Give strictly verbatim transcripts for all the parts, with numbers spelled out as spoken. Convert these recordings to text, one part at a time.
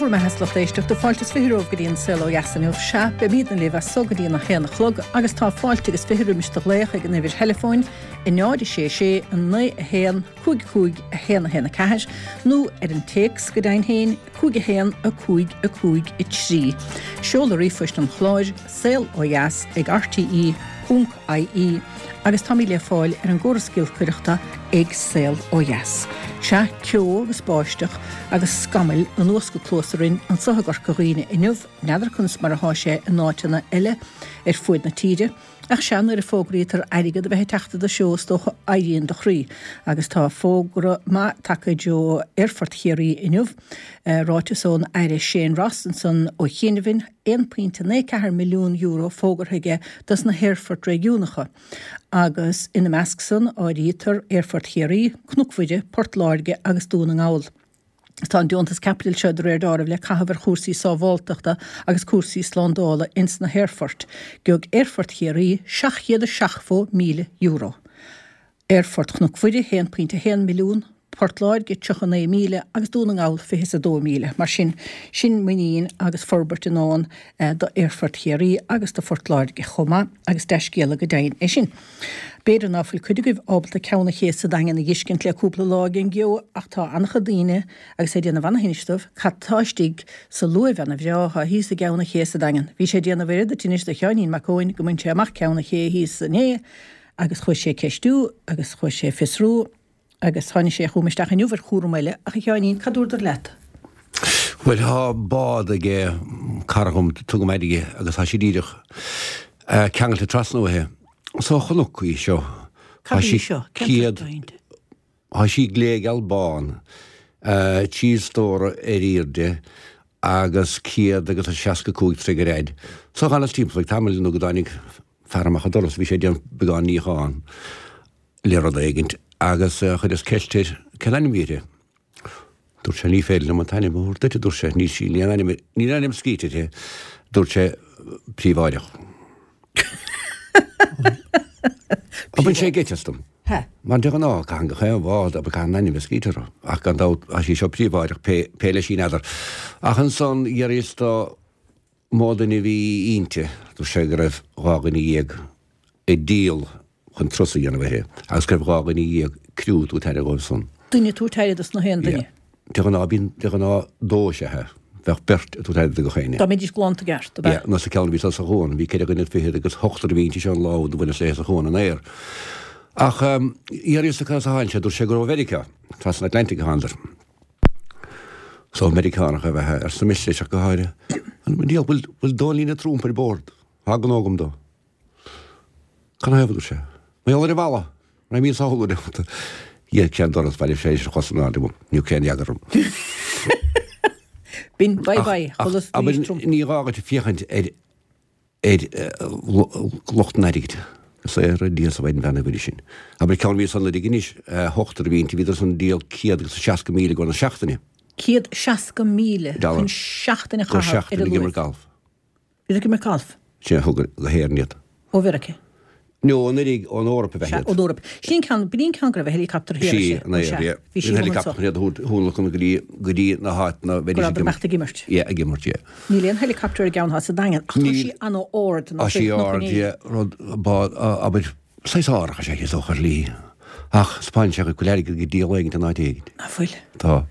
bhur mbeatha, a lucht éisteachta, fáilte is fiche romhaibh go dtí an Saol Ó Dheas inniu. Sea, beimidne libh as so go dtí an a haon a chlog agus tá fáilte agus fiche roimis do ghlaoch ag an uimhir theileafóin, a náid a sé sé, a naoi a haon, cúig cúig, a haon a haon a ceathair, nó ar an téacs go deimhin féin, cúig a haon, a cúig, a cúig, a trí. Seoladh ríomhphoist an chláir, saol ó dheas ag rte ponc ie, agus táimid le fáil ar an gcóras giolcaireachta ag Saol Ó Dheas. Sea, ceo agus báisteach agus scamaill anuas go cluasa orainn anso i gCorca Dhuibhne inniu, n'fheadar conas mar athá sé in áiteanna eile ar fuaid na tíre, ach sea, nuair a fógraítear airgead a bheith ag teacht i do threo is dócha éiríonn do chroí. Agus tá fógra maith tagtha i dtreo Aerfort Chiarraí inniu, ráiteas ón Aire Shane Ross ansan ó chianaibh, aon pointe naoi ceathair milliún euro fógartha aige dos na haerfoirt réigiúnacha agus ina measc san áirítear Aerfort Chiarraí, Cnoc Mhuire, Port Láirge agus Dún na nGall. Tá an deontas caipitil seo de réir dealraimh le caitheamh ar chúrsaí sábháltachta agus cúrsaí slándála ins na haerfoirt. Gheobhaidh Aerfort Chiarraí seacht chéad is seachtó míle euro. Aerfort Chnoc Mhuire haon pointe haon milliún, Port Láirge tríocha naoi míle agus Dún na nGall fiche is a dó míle. Mar sin, sin muinín agus forbairt i ndán do Aerfort Chiarraí agus do Phort Láirge chomh maith agus dea-scéala go deimhin é sin. B'fhéidir ná fuil cuid agaibh ábalta Ceann an Ché sa Daingean a dh'fheiscint le cúpla lá ag an gceo ach tá an-chuid daoine agus é ag déanamh ana-thinnis dóibh cad tá istigh sa luaimh ana-bhreá atá thíos i gCeann an Ché sa Daingean. Bhí sé ag déanamh oiread tinnis do Sheáinín Mac Eoin go mbain sé amach Ceann an Ché thíos inné agus chuaigh sé ag ceistiú agus chuaigh sé ag fiosrú agus tháinig sé chugam isteach inniu ar chúram eile ach a Sheáinín, cad dúradar leat? Bhuel, tá bád ag cara dhom, tugaim air aige, agus tá sí díreach ceangailte trasna uaithe. So chonac í seo. Cad í seo? Cén céad, tá sí gléigeal bán, trí stór ar airde agus céad agus a seasca cúig troigh ar fhaid. So dh'fhanas timpeall ag tamall nó go dtáinig fear amach an doras, bhí sé ag déanamh beagán níocháin. le rud éigint agus chuireas ceist air cén ainm a bhí uirthi. Dúirt sé ní féidir liom an t-ainm a thabhairt duit, a dúirt sé, níl sí, níl aon ainm, níl aon ainm scríte uirthi, dúirt sé príobháideach. Bhain sé geit astam. Mar de ghnáth, caitheann gach aon bhád, abair, caitheann an ainm a bheith scríte orthu, ach gan dabht, tá sí seo príobháideach, pé, pé leis í n'fheadar. Ach ansan, dh'fhiafraíos de mó duine a bhí inti, dúirt sé go raibh dhá dhuine dhéag ag díol chun turas a dhéanamh uirthi agus go raibh dhá dhuine dhéag criú ag tabhairt aire dhóibh san. Duine ag tabhairt aire dos na haon duine. Yeah. De ghnáth bíonn, de ghnáth dó is ea. Bheadh beirt ag tabhairt aire do gach éinne. Dá mbeidís glanta i gceart, ab ea? Yeah, nó sa ceann a bhí sa chuan, bhí ceithre dhuine fichead agus ochtar a bhí inti seo an lá úd a bhaineas léi sa chuan in aer. Ach d'fhiafraíos de cad as a tháinig sé, dúirt sé gur ó Mheiriceá, trasna an Atlantic a thánadar. So Meiriceánach ab ea é, arsa mise leis ach go háirithe. An diabhal, bhfuil, bhfuil Dónallín Trump ar bord? Tá gnó agam dó. Canathaobh, a dúirt sé. Mar gheall ar an bhalla! An raibh mé sáthú le Dhíol sé an doras, bhailigh sé leis an chos in airde uaim. Ní raibh aon fhreagra orm. B'in bye bye Ach, abair, ní gá duit féachaint ar ar lucht an airgid. Is é ar Dia is a bheidh an bhean ag sin. Abair, ceann a bhí san Oireadh anois, ochtar a bhí inti, bhíodar san ag díol céad agus seasca míle i gcomhair na seachtaine. Céad seasca míle chun seachtain a chaitheamh ar an Ag imirt galf. Bhíodar ag imirt galf. Sin a thug go hÉirinn iad. Ó Mheiriceá. No, ón Oirig, ón Eoraip ab ea Sea, iad. ón Eoraip. Sin an ceann, b'in í an ceann go raibh a helicopter thiar, Sí, sea, an aer, sea. yeah. Bhí sí An amuigh helicopter anso. chun iad a thionlacan go dtí, go dtí na háiteanna a Go bheidís raibh ag ag imeacht ag imirt. Yeah, ag imirt, yeah. Níl aon helicopter ar an gceann atá sa Daingean, ach tá Níl. sí an-ard, Tá nach sí bhfuil cnoc ard, an yeah, rud, bád, abair, saghas árthach is ea í, is dócha, ar shlí. Ach 'spáineann sé go bhfuil airgead ag díol éigint in áit éigint. Ná fuil. Tá.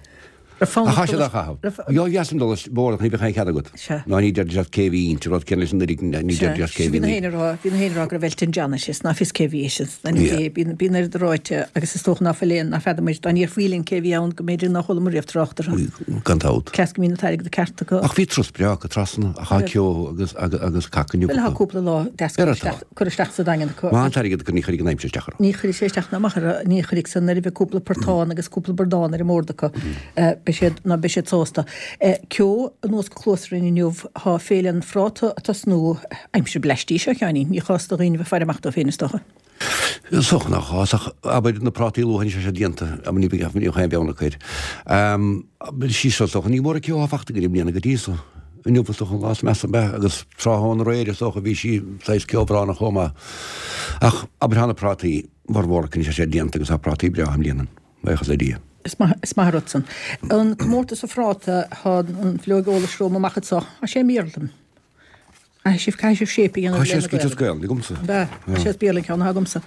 Raibh fonn Ach ort chaith siad dul á chaitheamh. raibh Ó dheas an dul is bord ach ní bheadh aon chead agat. Sea. Ná ní deirdís leat cé bhí inti, rud céanna leis an Oirig, ní Sea. deirdís leat cé Sea, bhí bhí na inti. héinne a rá, bhí na héinne a rá go raibh Elton John inti, is ná fios cé bhí inti, is ná ní Yeah. cé, bíonn, bíonn oiread ráite agus is dócha ná fuil aon, ná feadar muid, dá ndéarfaí linn cé bhí ann go mb'fhéidir ná chualamar riamh trácht orthu. Gan dabht. Cleas go mbíonn an t-airgead ceart acu. Ach bhí turas breá acu trasna, ach tá Raibh. ceo agus, agus, agus cac inniu Bhuel, tá acu. cúpla lá deas Ar curtha atá. isteach, curtha isteach sa Daingean acu. Má tá an t-airgead acu ní chuirfidh an aimsir isteach orthu. Ní chuirfidh sé isteach ná amach orthu, ní chuirfidh san nuair a bheidh cúpla portán agus cúpla bradán ar an mbord acu. Beidh siad, ná beidh siad sásta. Ceo anuas go cluas orainn inniu, tá Féile an Phráta ag tosnú, aimsir bleaistí seo, a Sheáinín, ní chás do dhaoine bheith ag faire amach dóibh féin is dócha. Is dócha nach chás, ach abair na prátaí luath anois tá siad déanta, abair ní bheadh ní bheadh aon bheann acu air. Sí seo is dócha, ní mór an ceo atá fachta againn i mbliana go dtí so. Inniu is dócha an lá is measa ab ea, agus tráthnóna aréir is dócha bhí sí saghas ceobhránach chomh maith. Ach abair tá na prátaí, bhformhór acu anois tá siad déanta agus tá prátaí breátha i mbliana, buíochas le Dia. Is maith is maith an rud san. An comórtas an phráta, thá an bhileog eolais romham amach anso. Tá sé i mBéarla. Caithfidh sibh caithfidh sibh séip a dhéanamh Tá sé lena scríte as Gaelainn. Gaelainn agamsa. Ab ea? Tá sé as Béarla an ceann atá agamsa.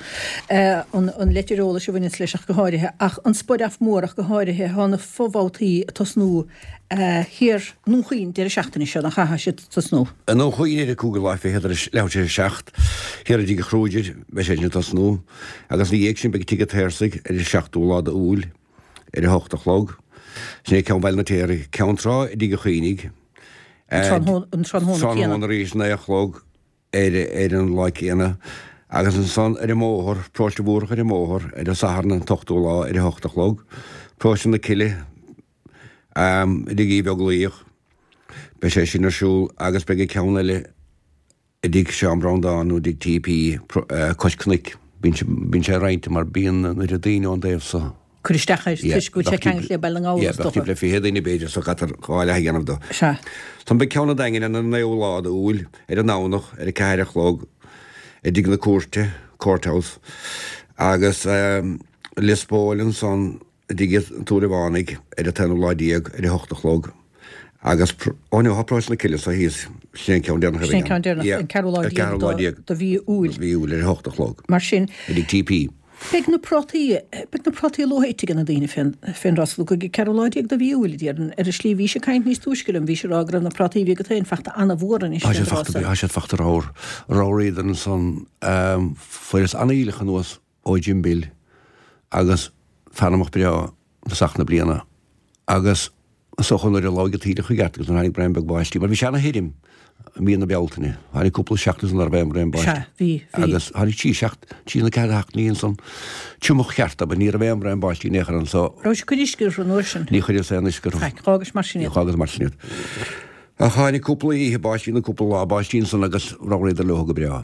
An an leitir eolais a bhaineanns leis ach go háirithe. Ach an Spor-Off mór ach go háirithe, thá na fo-bhabhtaí ag tosnú thiar i nDún Chaoin deireadh seachtaine seo, nach ea? Thá siad ag tosnú. I nDún Chaoin ar an cúigiú lá fichead tar éis leathuair tar éis a seacht, thiar i dTigh an Kruger, beidh sé sin ag tosnú. Agus ina dhiaidh sin beidh Tigh an tSaorsaigh ar an seachtú lá d'Iúil ar a hocht a chlog. Sin é ceann Bhaile an Fheirtéaraigh. Ceann Trá i dTigh an Chaoinigh. An tráthnóna céanna. Tráthnóna arís, naoi a chlog ar ar an lá céanna. Agus ansan ar an mbóthar, Paróiste Mhúrach ar an mbóthar, ar an Satharn an t-ochtú lá ar a hocht a chlog. Paróiste na Cille i dTigh Uí Bheaglaoich. Beidh sé sin ar siúl agus beidh an ceann eile i dtigh Seán Breandán nó i dtigh TP cois cnoic. Bíonn sé roinnte mar bíonn an oiread daoine ón dtaobh so. Cur isteach air toisc go bhfuil sé ceangailte le Baile na nGall Yeah, is bheadh dócha. timpeall le fiche duine b'fhéidir so caithfear dhá leath a dhéanamh do. Sea. Ansan beidh ceann an Daingin ar an naoú lá d'Iúil, ar an nDomhnach, ar a ceathair a chlog, i dtigh na cúirte, Courthouse, agus Lios Póil ansan i dtigh an tSúilleabhánaigh ar an t-aonú lá déag ar a hocht a chlog agus, ó no, tá Paróiste na Cille so thíos, sin é an ceann deireanach a Sin é bheidh an ceann ann. deireanach, Yeah, an ceathrú lá ar déag ceathrú lá déag de mhí Iúil. mhí Iúil ar a hocht a chlog Mar sin, i dtigh TP. Beidh na prátaí, beidh na prátaí luath ite ag na daoine fén, fén dtráth so go ceathrú lá déag de mhí Iúil, a déarfainn. Ar an slí, bhís ag caint níos túisce liom, bhís ag rá go raibh na prátaí a bhí agat féin fachta ana-mhór anois Tá fén siad dtráth fachta, so. tá siad fachta ramhar, ramhraíodar ansan, fuaireas an-aoileach anuas ó Jim Bill agus fear amach breá i dtosach na bliana agus is dócha nuair a labhair an t-aoileach i gceart agus nuair a tháinig braon beag báistí, mar bhí sé ana-thirim i mí na Bealtaine, tháinig cúpla seachtain ansan nach raibh aon bhraon báistí. Sea, bhí, bhí. Agus tháinig trí seacht, trí nó ceathair sheachtainí ansan, triomach ceart, abair, ní raibh aon bhraon báistí in aon chor ann so. Raibh sibh ag cur uisce orthu an uair sin? Ní chuireas aon uisce orthu. Faic, dh'fhágais mar sin iad. Dh'fhágas mar sin iad. Ach tháinig cúpla oíche báistí nó cúpla lá báistí ansan agus ramhraíodar leo go breá.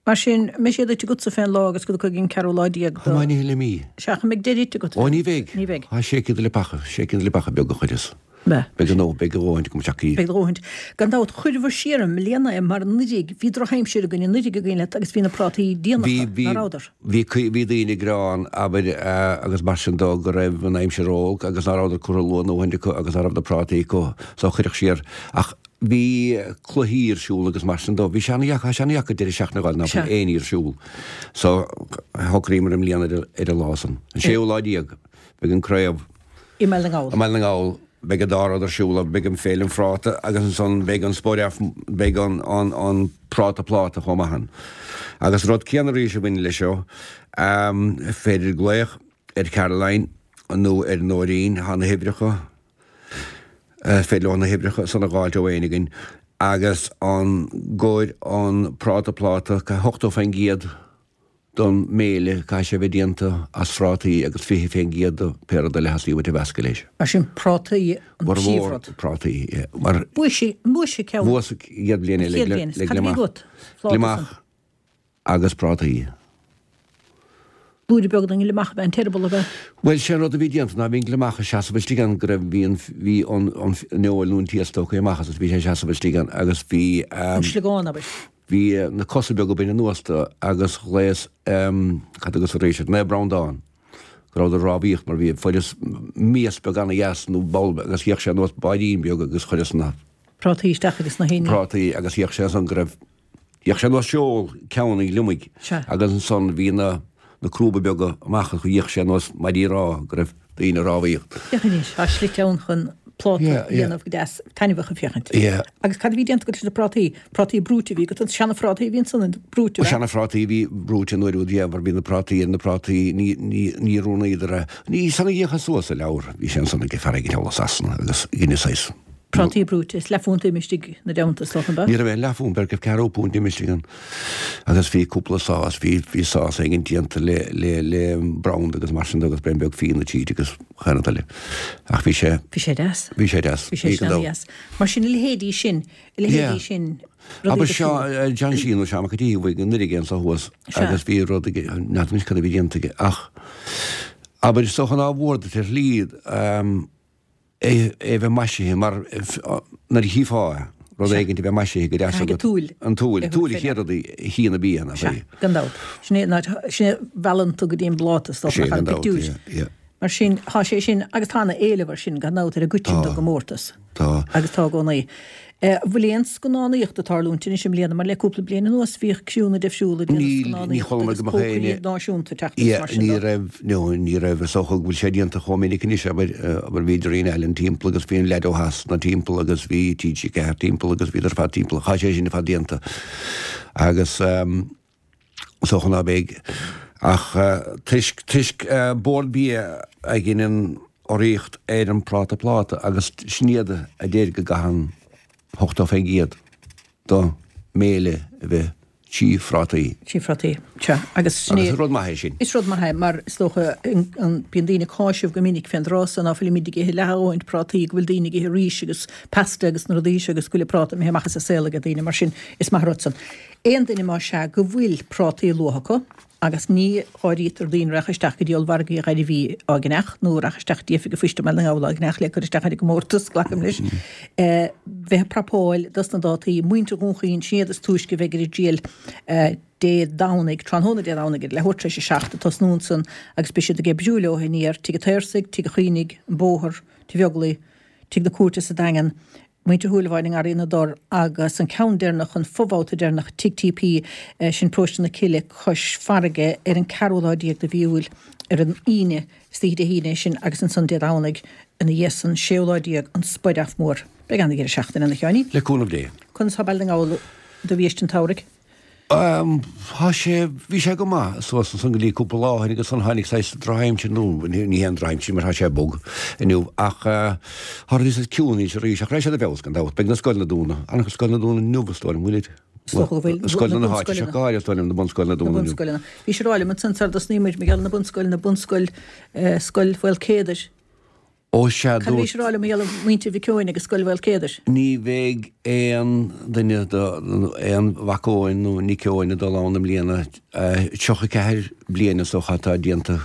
Mar sin, an mbeidh siad ite agatsa fén lá agus go dtiocfaidh an ceathrú lá déag Chomh do. maith ní le mí. Sea, an mbeidh deireadh ite agat Ó, féin? ní bheidh. Ní bheidh. Tá sé chéad lipeacha, sé chéad lipeacha beaga a chuireas. Bheith. Beidh a ndóthain, beidh a dhóthaint agam isteach í. Beidh a dhóthaint. Gan dabht, chuireabhair siar i mbliana é mar anuraidh, bhí drochaimsir againn anuraidh a gcuimhin leat agus bhí na prátaí Bhí, déanacha, bhí, ná rabhadar? bhí, bhí daoine ag gearán, abair, agus mar sin dó, go raibh an aimsir olc agus ná rabhadar curtha luath a ndóthaint acu agus ná raibh na prátaí acu so cuireadh siar. Ach Bhí cluichí ar siúl agus mar sin dó. Bhí sé ana-dheacair, tá sé ana-dheacair deireadh seachtaine a fháil ná fuil aon ní ar siúl. So, shocraíomar i mbliana ar an lá san. An séú lá déag, beidh an craobh. I mBaile na nGall. I mBaile na nGall. Beidh an dá rud ar siúl, beidh an Féile an Phráta agus ansan beidh an Spor-Off, beidh an, an, an Práta Pláta chomh maith ann. Agus rud céanna arís a bhaineann leis seo, féidir glaoch ar Caroline nó ar Nóirín, thá na huimhreacha, féidir leo na huimhreacha san a dh'fháilt ó éinne againn agus i gcomhair an práta pláta, ochtó fén gcéad don mbéile, caithfidh sé a bheith déanta as phrátaí agus fiche fén gcéad do pé rud eile a theastaíonn uait a mheascadh leis. Mar sin prátaí an Formhór príomhrud. prátaí, yeah. Mar Bhuaigh sé, bhuaigh sé ceann. Bhuas an chéad bhliain An eile chéad le bhliain. le Cad a bhí gliomach. agat? Pláta san. Gliomach agus prátaí. Blúire beag den ghliomach ab ea an t-eireaball ab ea? Bhuel, sé an rud a bhí déanta ná bhí an gliomach ag seasamh istigh ann go raibh, bhí an, bhí an, an fheoil nó an t-iasc tógtha amach as agus bhí sé ag seasamh istigh ann agus bhí, An sliogán, abair. bhí na cosa beaga bainte anuas de agus ghléas, cad thugas arís air, Naomh Breandán, go rabhadar rámhaíocht mar bhí, fuaireas mias beag ana-dheas nó bowl agus d'fhéach sé ar nós báirín beag agus chuireas na. Prátaí isteach agus na héiní. Prátaí agus d'fhéach sé ansan go raibh, D'fhéach sé ar nós seol ceann an ghliomaigh Sea. agus ansan bhí na na crúba beaga amach agus d'fhéach sé ar nós maidí rámha go raibh daoine ag rámhaíocht. Féach anois, tá slite ann chun pláta Yeah, a yeah. dhéanamh go deas taitneamhach a féachaint. Yeah. Agus cad a bhí déanta agat leis na prátaí? Prátaí brúite a bhí agat, an seana-phrátaí a bhí ansan, an brúite, ab ea? Seana-phrátaí a bhí brúite an uair úd, yeah, mar bhí na prátaí ar na prátaí, ní, ní, ní roghnaíodar é. Ní san a d'fhéachas suas sa leabhar, bhí sé ansan ag fear éigin thall i Sasana agus dheineas saghas. Prátaí brúite, is leathphunt ime istigh ina dteannta, is dócha, ab ea? Ní raibh aon leathphunt, b'fhéidir go raibh ceathrú punt ime istigh ann. Agus bhí cúpla sás, bhí, bhí sás éigin déanta le, le, le branda agus mar sin de agus braon beag fíona tríd agus chaon rud eile. Ach bhí sé. Bhí sé deas. Bhí sé deas. Bhí sé Bhí go sin dubh. ana-dheas. Mar sin, a leithéidí sin, a leithéidí Yeah. sin, rudaí Abair go seo, fiú. eh, John Sheehan nó Seán Mac an tSíthigh, bhuaigh anuraidh anso thuas Sea. agus bhí rud aige, n'fheadar anois cad a bhí déanta aige ach abair is dócha nár mhór duit ar shlí, ehm, é a bheith maisithe mar nuair a chífeá é, rud éigin a bheith maisithe go deas Caithfidh agat. an tsúil An tsúil. a Tsúil thabhairt an fé chéad rud a chíonn an bia, nach Sea, é? gan dabht. Sin é an áit, sin é a mheallann tú go dtí an bpláta, is dócha, Sea, nach gan an dabht, pictiúr. yeah, yeah. Mar sin, tá sé sin, agus tá ana-éileamh air sin gan dabht ar an gcoiteann don gcomórtas. Tá. Agus tá i gcónaí. Bhfuil aon scannánaíocht ag tarlúint anois i mbliana mar le cúpla bliain anuas bhíodh criúnna difriúla ag déanamh scannánaíochta agus cócairí náisiúnta ag teacht agus mar sin de. Ní raibh, no, ní raibh, is dócha go bhfuil sé déanta chomh minic anois, abair, abair bhí Darina Allen timpeall agus bhí an leaid ó Shasana timpeall agus bhí TG Ceathair timpeall agus bhíodar ar fad timpeall, tá sé sin ar fad déanta agus is dócha ná beidh ach toisc, toisc Bord Bia a dheineann urraíocht ar an Práta Pláta agus sin iad a deir go gcaitheann ochtó faoin gcéad de bhéile a bheith trí phrátaí. Trí phrátaí, sea. Agus sin é. Agus is rud maith é sin. Is rud maith é mar is dócha bíonn daoine ag cáiseamh go minic fén dtráth so ná fuilimid ag ithe leath a dhóthain prátaí, go bhfuil daoine ag ithe rís agus pasta agus na rudaí seo agus go bhfuil an práta imithe amach as an saol ag daoine mar sin is maith an rud san. Aon duine más ea go bhfuil prátaí luath acu, agus ní áirítear daoine a rachaidh isteach go dtí ollmhargaí Ghairbhí á gceannach nó a rachaidh isteach go dtí Oifig an Phoist i mBaile na nGall á gceannach le cur isteach ar an gcomórtas, glacaim leis, bheith ag prapáil dos na dátaí. Muintir Dhún Chaoin, sin iad is túisce a bheidh ar a dtriail Dé Domhnaigh, tráthnóna Dé Domhnaigh ar leathuair tar éis a seacht ag tosnú ansan agus beidh siad ag oibriú leo aniar, Tigh an tSaorsaigh, Tigh an Choinnigh, an Bóthar, Tigh Bheaglaoich, Tigh na Cúirte sa Daingean, Muintir Shúilleabháin i nGarraí na dTor agus an ceann deireanach, an fo-bhabhta deireanach, Tigh TP, sin Paróiste na Cille, cois farraige, ar an ceathrú lá déag de mhí Iúil, ar an Aoine, is oíche Dé hAoine é sin, agus ansan Dé Domhnaigh ina dhiaidh san, séú lá déag, an Spideach Mór. Beidh an-dheireadh seachtaine ann, a Sheáinín. Le cúnamh Dé. Conas tá Baile na nGall do bhiaiste an tsamhraidh? Tá sé, bhí sé go maith suas ansan go dtí cúpla lá ó shin agus ansan tháinig saghas drochaimsir, nó ní haon drochaimsir mar tá sé bog inniu ach tá rudaí saghas ciúin anois arís ach raghaidh siad i bhfeabhas gan dabht. Beidh na scoileanna dúnadh, an-chuid scoileanna dúnadh inniu is dóigh liom, bhfuilid? Is dócha go bhfuil, Scoileanna na háite seo go háirithe is dóigh liom, na bunscoileanna Na dúnadh inniu. bunscoileanna. Bhí sé ráite liom ansan sar a dtosnaigh muid, mar gheall ar na bunscoileanna, bunscoil, Scoil Mhaolcéadair, Ó sea, Cad a bhís dúirt. a rá liom mar gheall ar mhuintir Mhic Eoin agus Scoil Mhaolcéadair? Ní bheidh aon duine de, aon mhac Eoin nó nic Eoin ag dul ann i mbliana. Tríocha ceathair bliain is dócha atá déanta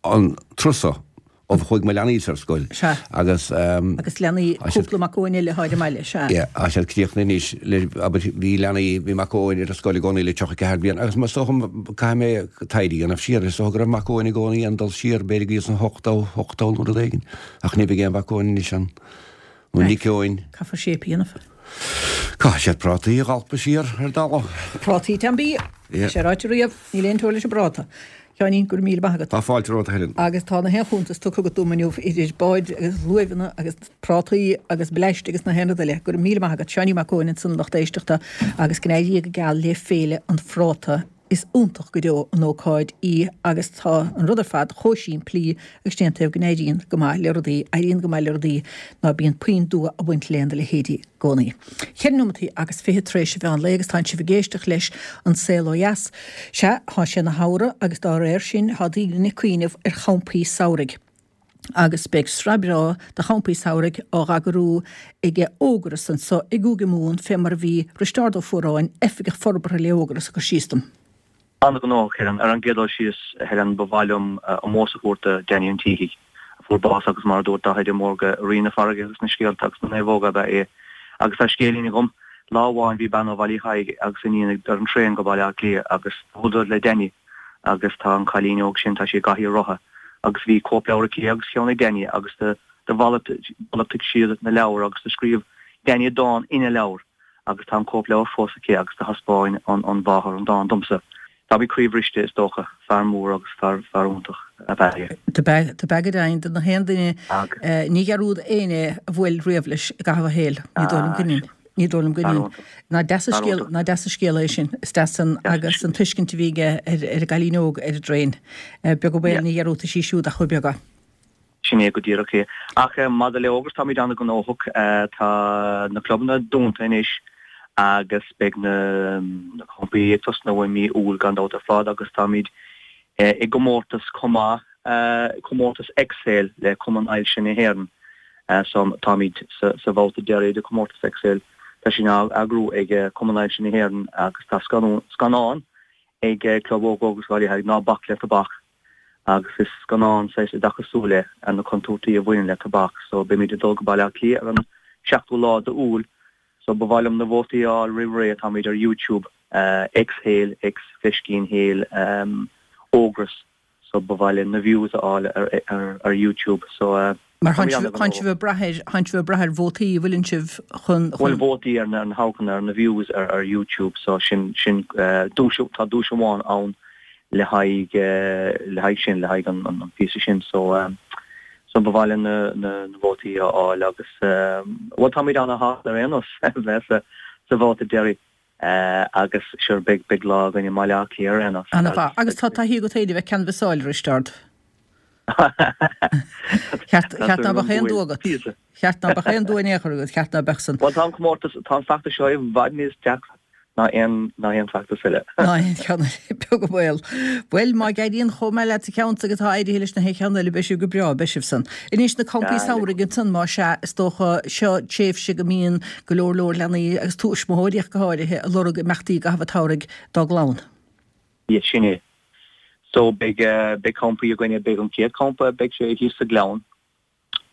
an turas seo ó chuaigh mo leanaí-sa ar scoil. Sea. Agus. Agus leanaí Tá siad. cúpla mac Eoin eile atá ar an mbaile, sea. Yeah, tá siad críochnaithe anois le, abair, bhí leanaí, bhí mac Eoin ar an scoil i gcónaí le tríocha ceathair bliain agus is dócha, caithfidh mé taighde a dhéanamh siar, is dócha go raibh mac Eoin i gcónaí ann dul siar, b'fhéidir go dtí sna hochtó, ochtó nó rud éigin, ach ní bheidh aon mhac Eoin anois ann, nó nic Eoin. Caithfear séip a dhéanamh. Caithfidh siad prátaí a dhalpadh siar ar an dtalamh. Prátaí Teampí! Yeah. Tá sé ráite riamh, níl aon teora leis an bpráta. Sheáinín, go raibh míle maith agat. Tá fáilte romhat, a Helen. Agus tá na haon chuntas tugtha agat dom inniu, idir báid agus luaimheanna agus prátaí agus bleaist agus na haon rud eile. Go raibh míle maith agat. Seáinín Mac Eoin ansan, lucht éisteachta, agus go n-éirí go geal le Féile an Phráta. Is iontach go deo an ócáid í agus tá an rud ar fad chomh simplí agus dén taobh go n-éiríonn go maith le rudaí, éiríonn go maith le rudaí ná bíonn puinn dua ag baint lena leithéidí i gcónaí. Ceithre nóimeataí agus fiche tar éis an mheán lae agus tánn sibh ag éisteacht leis An Saol Ó Dheas. Sea, thá sé ina shamhradh agus dá réir sin thá daoine ag cuimhneamh ar champaí samhraidh. Agus beidh sraith breá de champaí samhraidh á dh'eagrú ag Ógras anso i gCúige Mumhan fé mar a bhí Risteárd Ó Fuaráin, Oifigeach Forbartha le Ógras, ag cur síos dom. An-ghnóthach, Helen. Ar an gcéad dul síos, a Helen, ba mhaith liom ómós a thabhairt do Danny an tSíthigh, a fuair bás agus mar a dúirt Daithí de Mórdha, rí na farraige agus na scéalta agus na naomhóga ab ea é. Agus tá scéilín agam. Lá amháin bhí bean ó Bhaile Uí Thaidhg agus a iníon ar an traein go Baile Átha Cliath agus bhuaileadar le Danny agus tá an cailín óg sin, tá sí i gcathaoir rotha agus bhí cóipleabhar aici agus ceann ag Danny agus do mhalartaigh siad na leabhair agus do scríobh Danny dán ina leabhar agus tá an cóipleabhar fós aici agus do thaispeáin an mháthair an dán domsa. Táimid croíbhriste is dócha. Fear mór agus fear fear iontach ab ea é. Do b'ea go deimhin do na haon duine, ní dhearúd éinne a bhuail riamh leis i gcaitheamh a shaoil. Ní dóigh liom go ndéan. Ní dóigh liom go ndéan. Nach deas an scéal, nach deas an scéal é sin. Is deas san agus an tuiscint a bhí aige ar ar an gcailín óg ar an dtraein. Beag an baol ní dhearúdfaidh sí siúd ach chomh beag é. Sin é go díreach é. Ach maidir le Ógras, táimid an-ghnóthach. Tá na clubanna dúnta anois agus beidh na campaí ag tosnú i mí Iúil gan dabht ar fad agus táimid i gcomórtas chomh maith, comórtas Exhale le Cumann Ailse na hÉireann. So táimid sa bhabhta deiridh de chomórtas Exhale. Tá sin á eagrú ag Cumann Ailse na hÉireann agus tá scannán ag Club Óg Ógras Bhaile Uí Thaidhg, Ná Bac le Tobac. Agus is scannán saghas oideachasúil é ar na contúirtí a bhaineann le tobac. So beimid ag dul go Baile Átha Cliath ar an seachtú lá d'Iúil. So ba mhaith liom na vótaí a fháil roimh ré. Táimid ar YouTube, Exhale, X fleiscín Hale, Ógras. so ba mhaith linn na views a fháil ar ar ar YouTube so Mar tánn sibh ag brath ar tánn sibh ag brath ar vótaí an bhfuileann sibh chun Bhuel vótaí ar na hamharcanna ar na views ar ar YouTube so sin sin duais tá duais amháin ann le haghaidh le haghaidh sin le haghaidh an an píosa sin so so ba mhaith linn na na na vótaí a fháil agus bhuel táimid ana-shásta ar aon nós bheith sa sa bhabhta deiridh agus sure beidh beidh lá againn i mBaile Átha Cliath ar aon nós. Ana-mhaith. Agus tá taithí agat féin a bheith canbhasáil a Risteárd. Cheart cheart ná beadh aon dua agat. Cheart ná beadh aon dua in aon chor agat, cheart ná beadh san. Bhuel tá an comórtas, tá an feachtas seo i bhfad níos deacra ná aon ná aon feachtas eile. Ná aon cheann eile, beag an baol. Bhuel, má éiríonn chomh maith leat sa cheann seo agus atá éirithe leis na haon cheann eile, beidh sibh go breá, beidh sibh san. Anois, na campaí samhraidh ansan, más ea, is dócha, seo tréimhse go mbíonn go leor leor leanaí, agus tuismitheoirí ach go háirithe, ag lorg imeachtaí i gcaitheamh an tsamhraidh dá gclann. Yeah, sin é. So, beidh, beidh campaí againne, beidh an chéad champa, beidh sé thíos sa Ghleann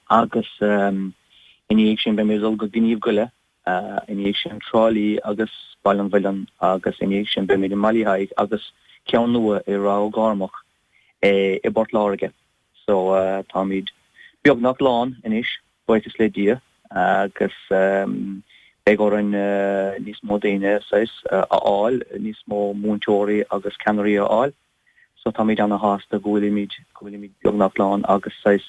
agus ina dhiaidh sin beimid ag dul go Gníomh Goile, ina dhiaidh sin Trá Lí agus Baile an Mhuilinn agus ina dhiaidh sin beimid i mBaile Uí Thaidhg agus ceann nua i Ráth Ó gCormaic i bPort Láirge. So táimid beagnach lán anois, buíochas le Dia, agus beidh orainn níos mó daoine saghas a fháil, níos mó múinteoirí agus ceannairí a fháil. So táimid ana-shásta go bhfuilimid, go bhfuilimid beagnach lán agus saghas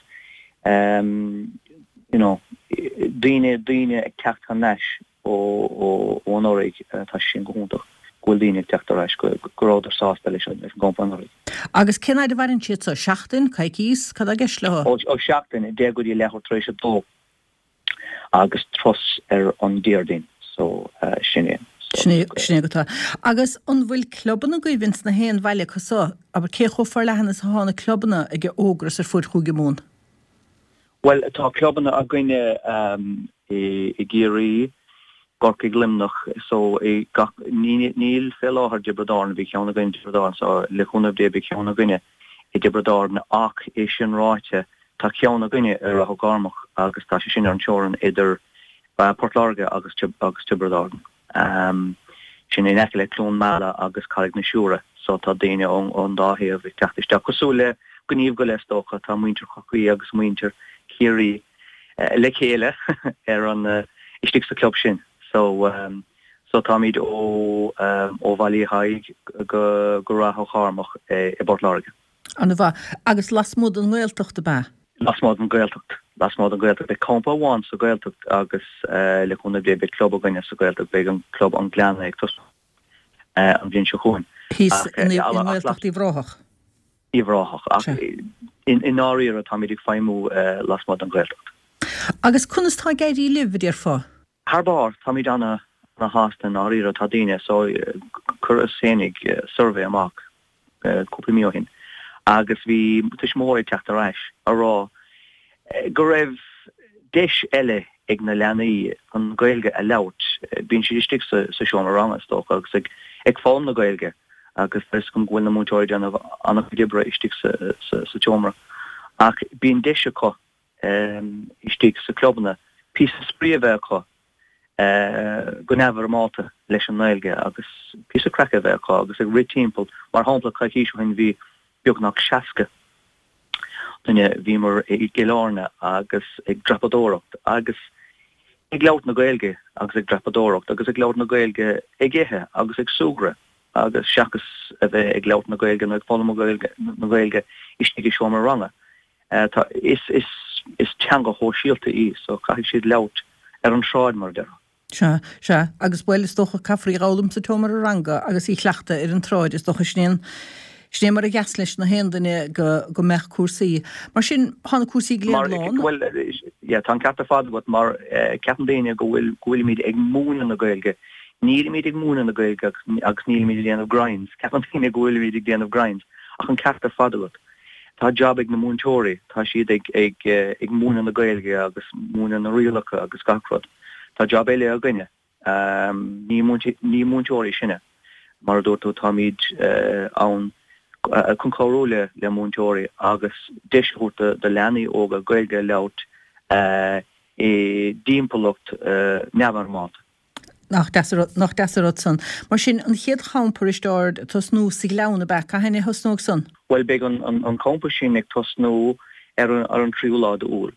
you know, daoine, daoine ag teacht thar n-ais ó, ó, ó anuraidh, tá sé sin go hiontach, go bhfuil daoine ag teacht ar ais, go, go rabhadar sásta leis an, leis an gcampa anuraidh. Agus cén fhad a mhaireann siad so? Seachtain? Coicís? Cad tá i gceist leo? Ó, ó seachtain, deich go dtí leathuair tar éis a dó agus turas ar an Déardaoin, so sin é. Sin é, sin é go tá. Agus an bhfuil clubanna agaibh ins na haon bhaile acu so? Abair, cé chomh forleathan is atá na clubanna ag an Ógras ar fuaid Chúige Mumhan? Bhuel, tá clubanna againne i gCiarraí, gCorcaigh, Luimneach, so i gach, níl fé láthair i dTiobraid Árann, bhí ceann againn i dTiobraid Árann, so le cúnamh Dé beidh ceann againne i dTiobraid Árann ach é sin ráite, tá ceann againne i Ráth Ó gCormaic agus tá sé sin ar an teorainn idir Port Láirge agus agus Tiobraid Árann. Sin in aice le Cluain Meala agus Carraig na Siúire, so tá daoine ón dá thaobh ag teacht isteach, cosúil le Gníomh Goile is dócha, tá muintir Chorcaí agus muintir Chiarraí le chéile ar an istigh sa club sin. So so táimid ó ó Bhaile Uí Thaidhg go go Ráth Ó Chormaic i bPort Láirge. An-mhaith. Agus lasmuigh den nGaeltacht ab ea? Lasmuigh den Ghaeltacht. Lasmuigh den Ghaeltacht. Beidh campa amháin sa Ghaeltacht agus le cúnamh Dé beidh club againne sa Ghaeltacht, beidh an club An Gleann ag tosnú an bhliain seo chugainn. Thíos i nGaeltacht Uíbh Ráthach. Uíbh Ráthach. Ach i ndáiríre táimid ag feidhmiú lasmuigh den Ghaeltacht. Agus conas tá ag éirí libh, a déarfá? Thar barr. Táimid ana-shásta i ndáiríre. Tá daoine, so chuireas féinig suirbhé amach cúpla mí ó shin agus bhí tuismitheoirí ag teacht ar ais a rá go raibh deis eile ag na leanaí an Ghaeilge a labhairt. Bíonn siad istigh sa seomra ranga, is dócha, agus ag foghlaim na Gaeilge agus tá 'fhios agam go bhfuil na múinteoirí ag déanamh an-chuid oibre istigh sa tseomra. Ach bíonn deis acu istigh sa clubanna píosa spraoi a bheith acu go neamhfhoirmeálta leis an nGaeilge agus píosa craic a bheith acu agus ag rith timpeall. Mar shampla, coicís ó shin bhí beagnach seasca duine, bhíomar i gCill Airne agus ag dreapadóireacht agus ag labhairt na Gaeilge agus ag dreapadóireacht agus ag labhairt na Gaeilge ag ithe agus ag súgradh agus seachas a bheith ag labhairt na Gaeilge nó ag foghlaim na Gaeilge istigh i seomra ranga. Tá, is, is, is teanga shóisialta í so caithfidh siad labhairt ar an tsráid mar a déarfá. Sea, sea, agus bhuel is dócha caithfear í a dh'fhoghlaim sa tseomra ranga agus í chleachtadh ar an tsráid, is dócha sin é an, sin é mar a dheas leis na haon duine go, go mbeadh cúrsaí. Mar sin, tá na cúrsaí go léir lán. Bhuel, yeah, tá an ceart ar fad agat mar ceapann daoine go bhfuil, go bhfuilimid ag múineadh na Gaeilge. Nílimid ag múineadh na Gaeilge agus, agus nílimid ag déanamh grinds. Ceapann daoine go bhfuilimid ag déanamh grinds ach an ceart ar fad agat. Tá jab ag na múinteoirí, tá siad ag ag ag múineadh na Gaeilge agus múineadh na rialacha agus gach rud. Tá jab eile againne. Ní ní múinteoirí sinne. Mar a dúirt tú, táimid ann chun cabhrú le le múinteoirí agus deis a thabhairt do do leanaí óga Gaeilge a labhairt i dtimpeallacht neamhfhoirmeálta. Nach deas nach deas an rud san. Mar sin an chéad champa Risteárd ag tosnú sa Ghleann ab ea, cathain a thosnóidh san? Bhuel beidh an an campa sin ag tosnú ar an ar an tríú lá d'Iúil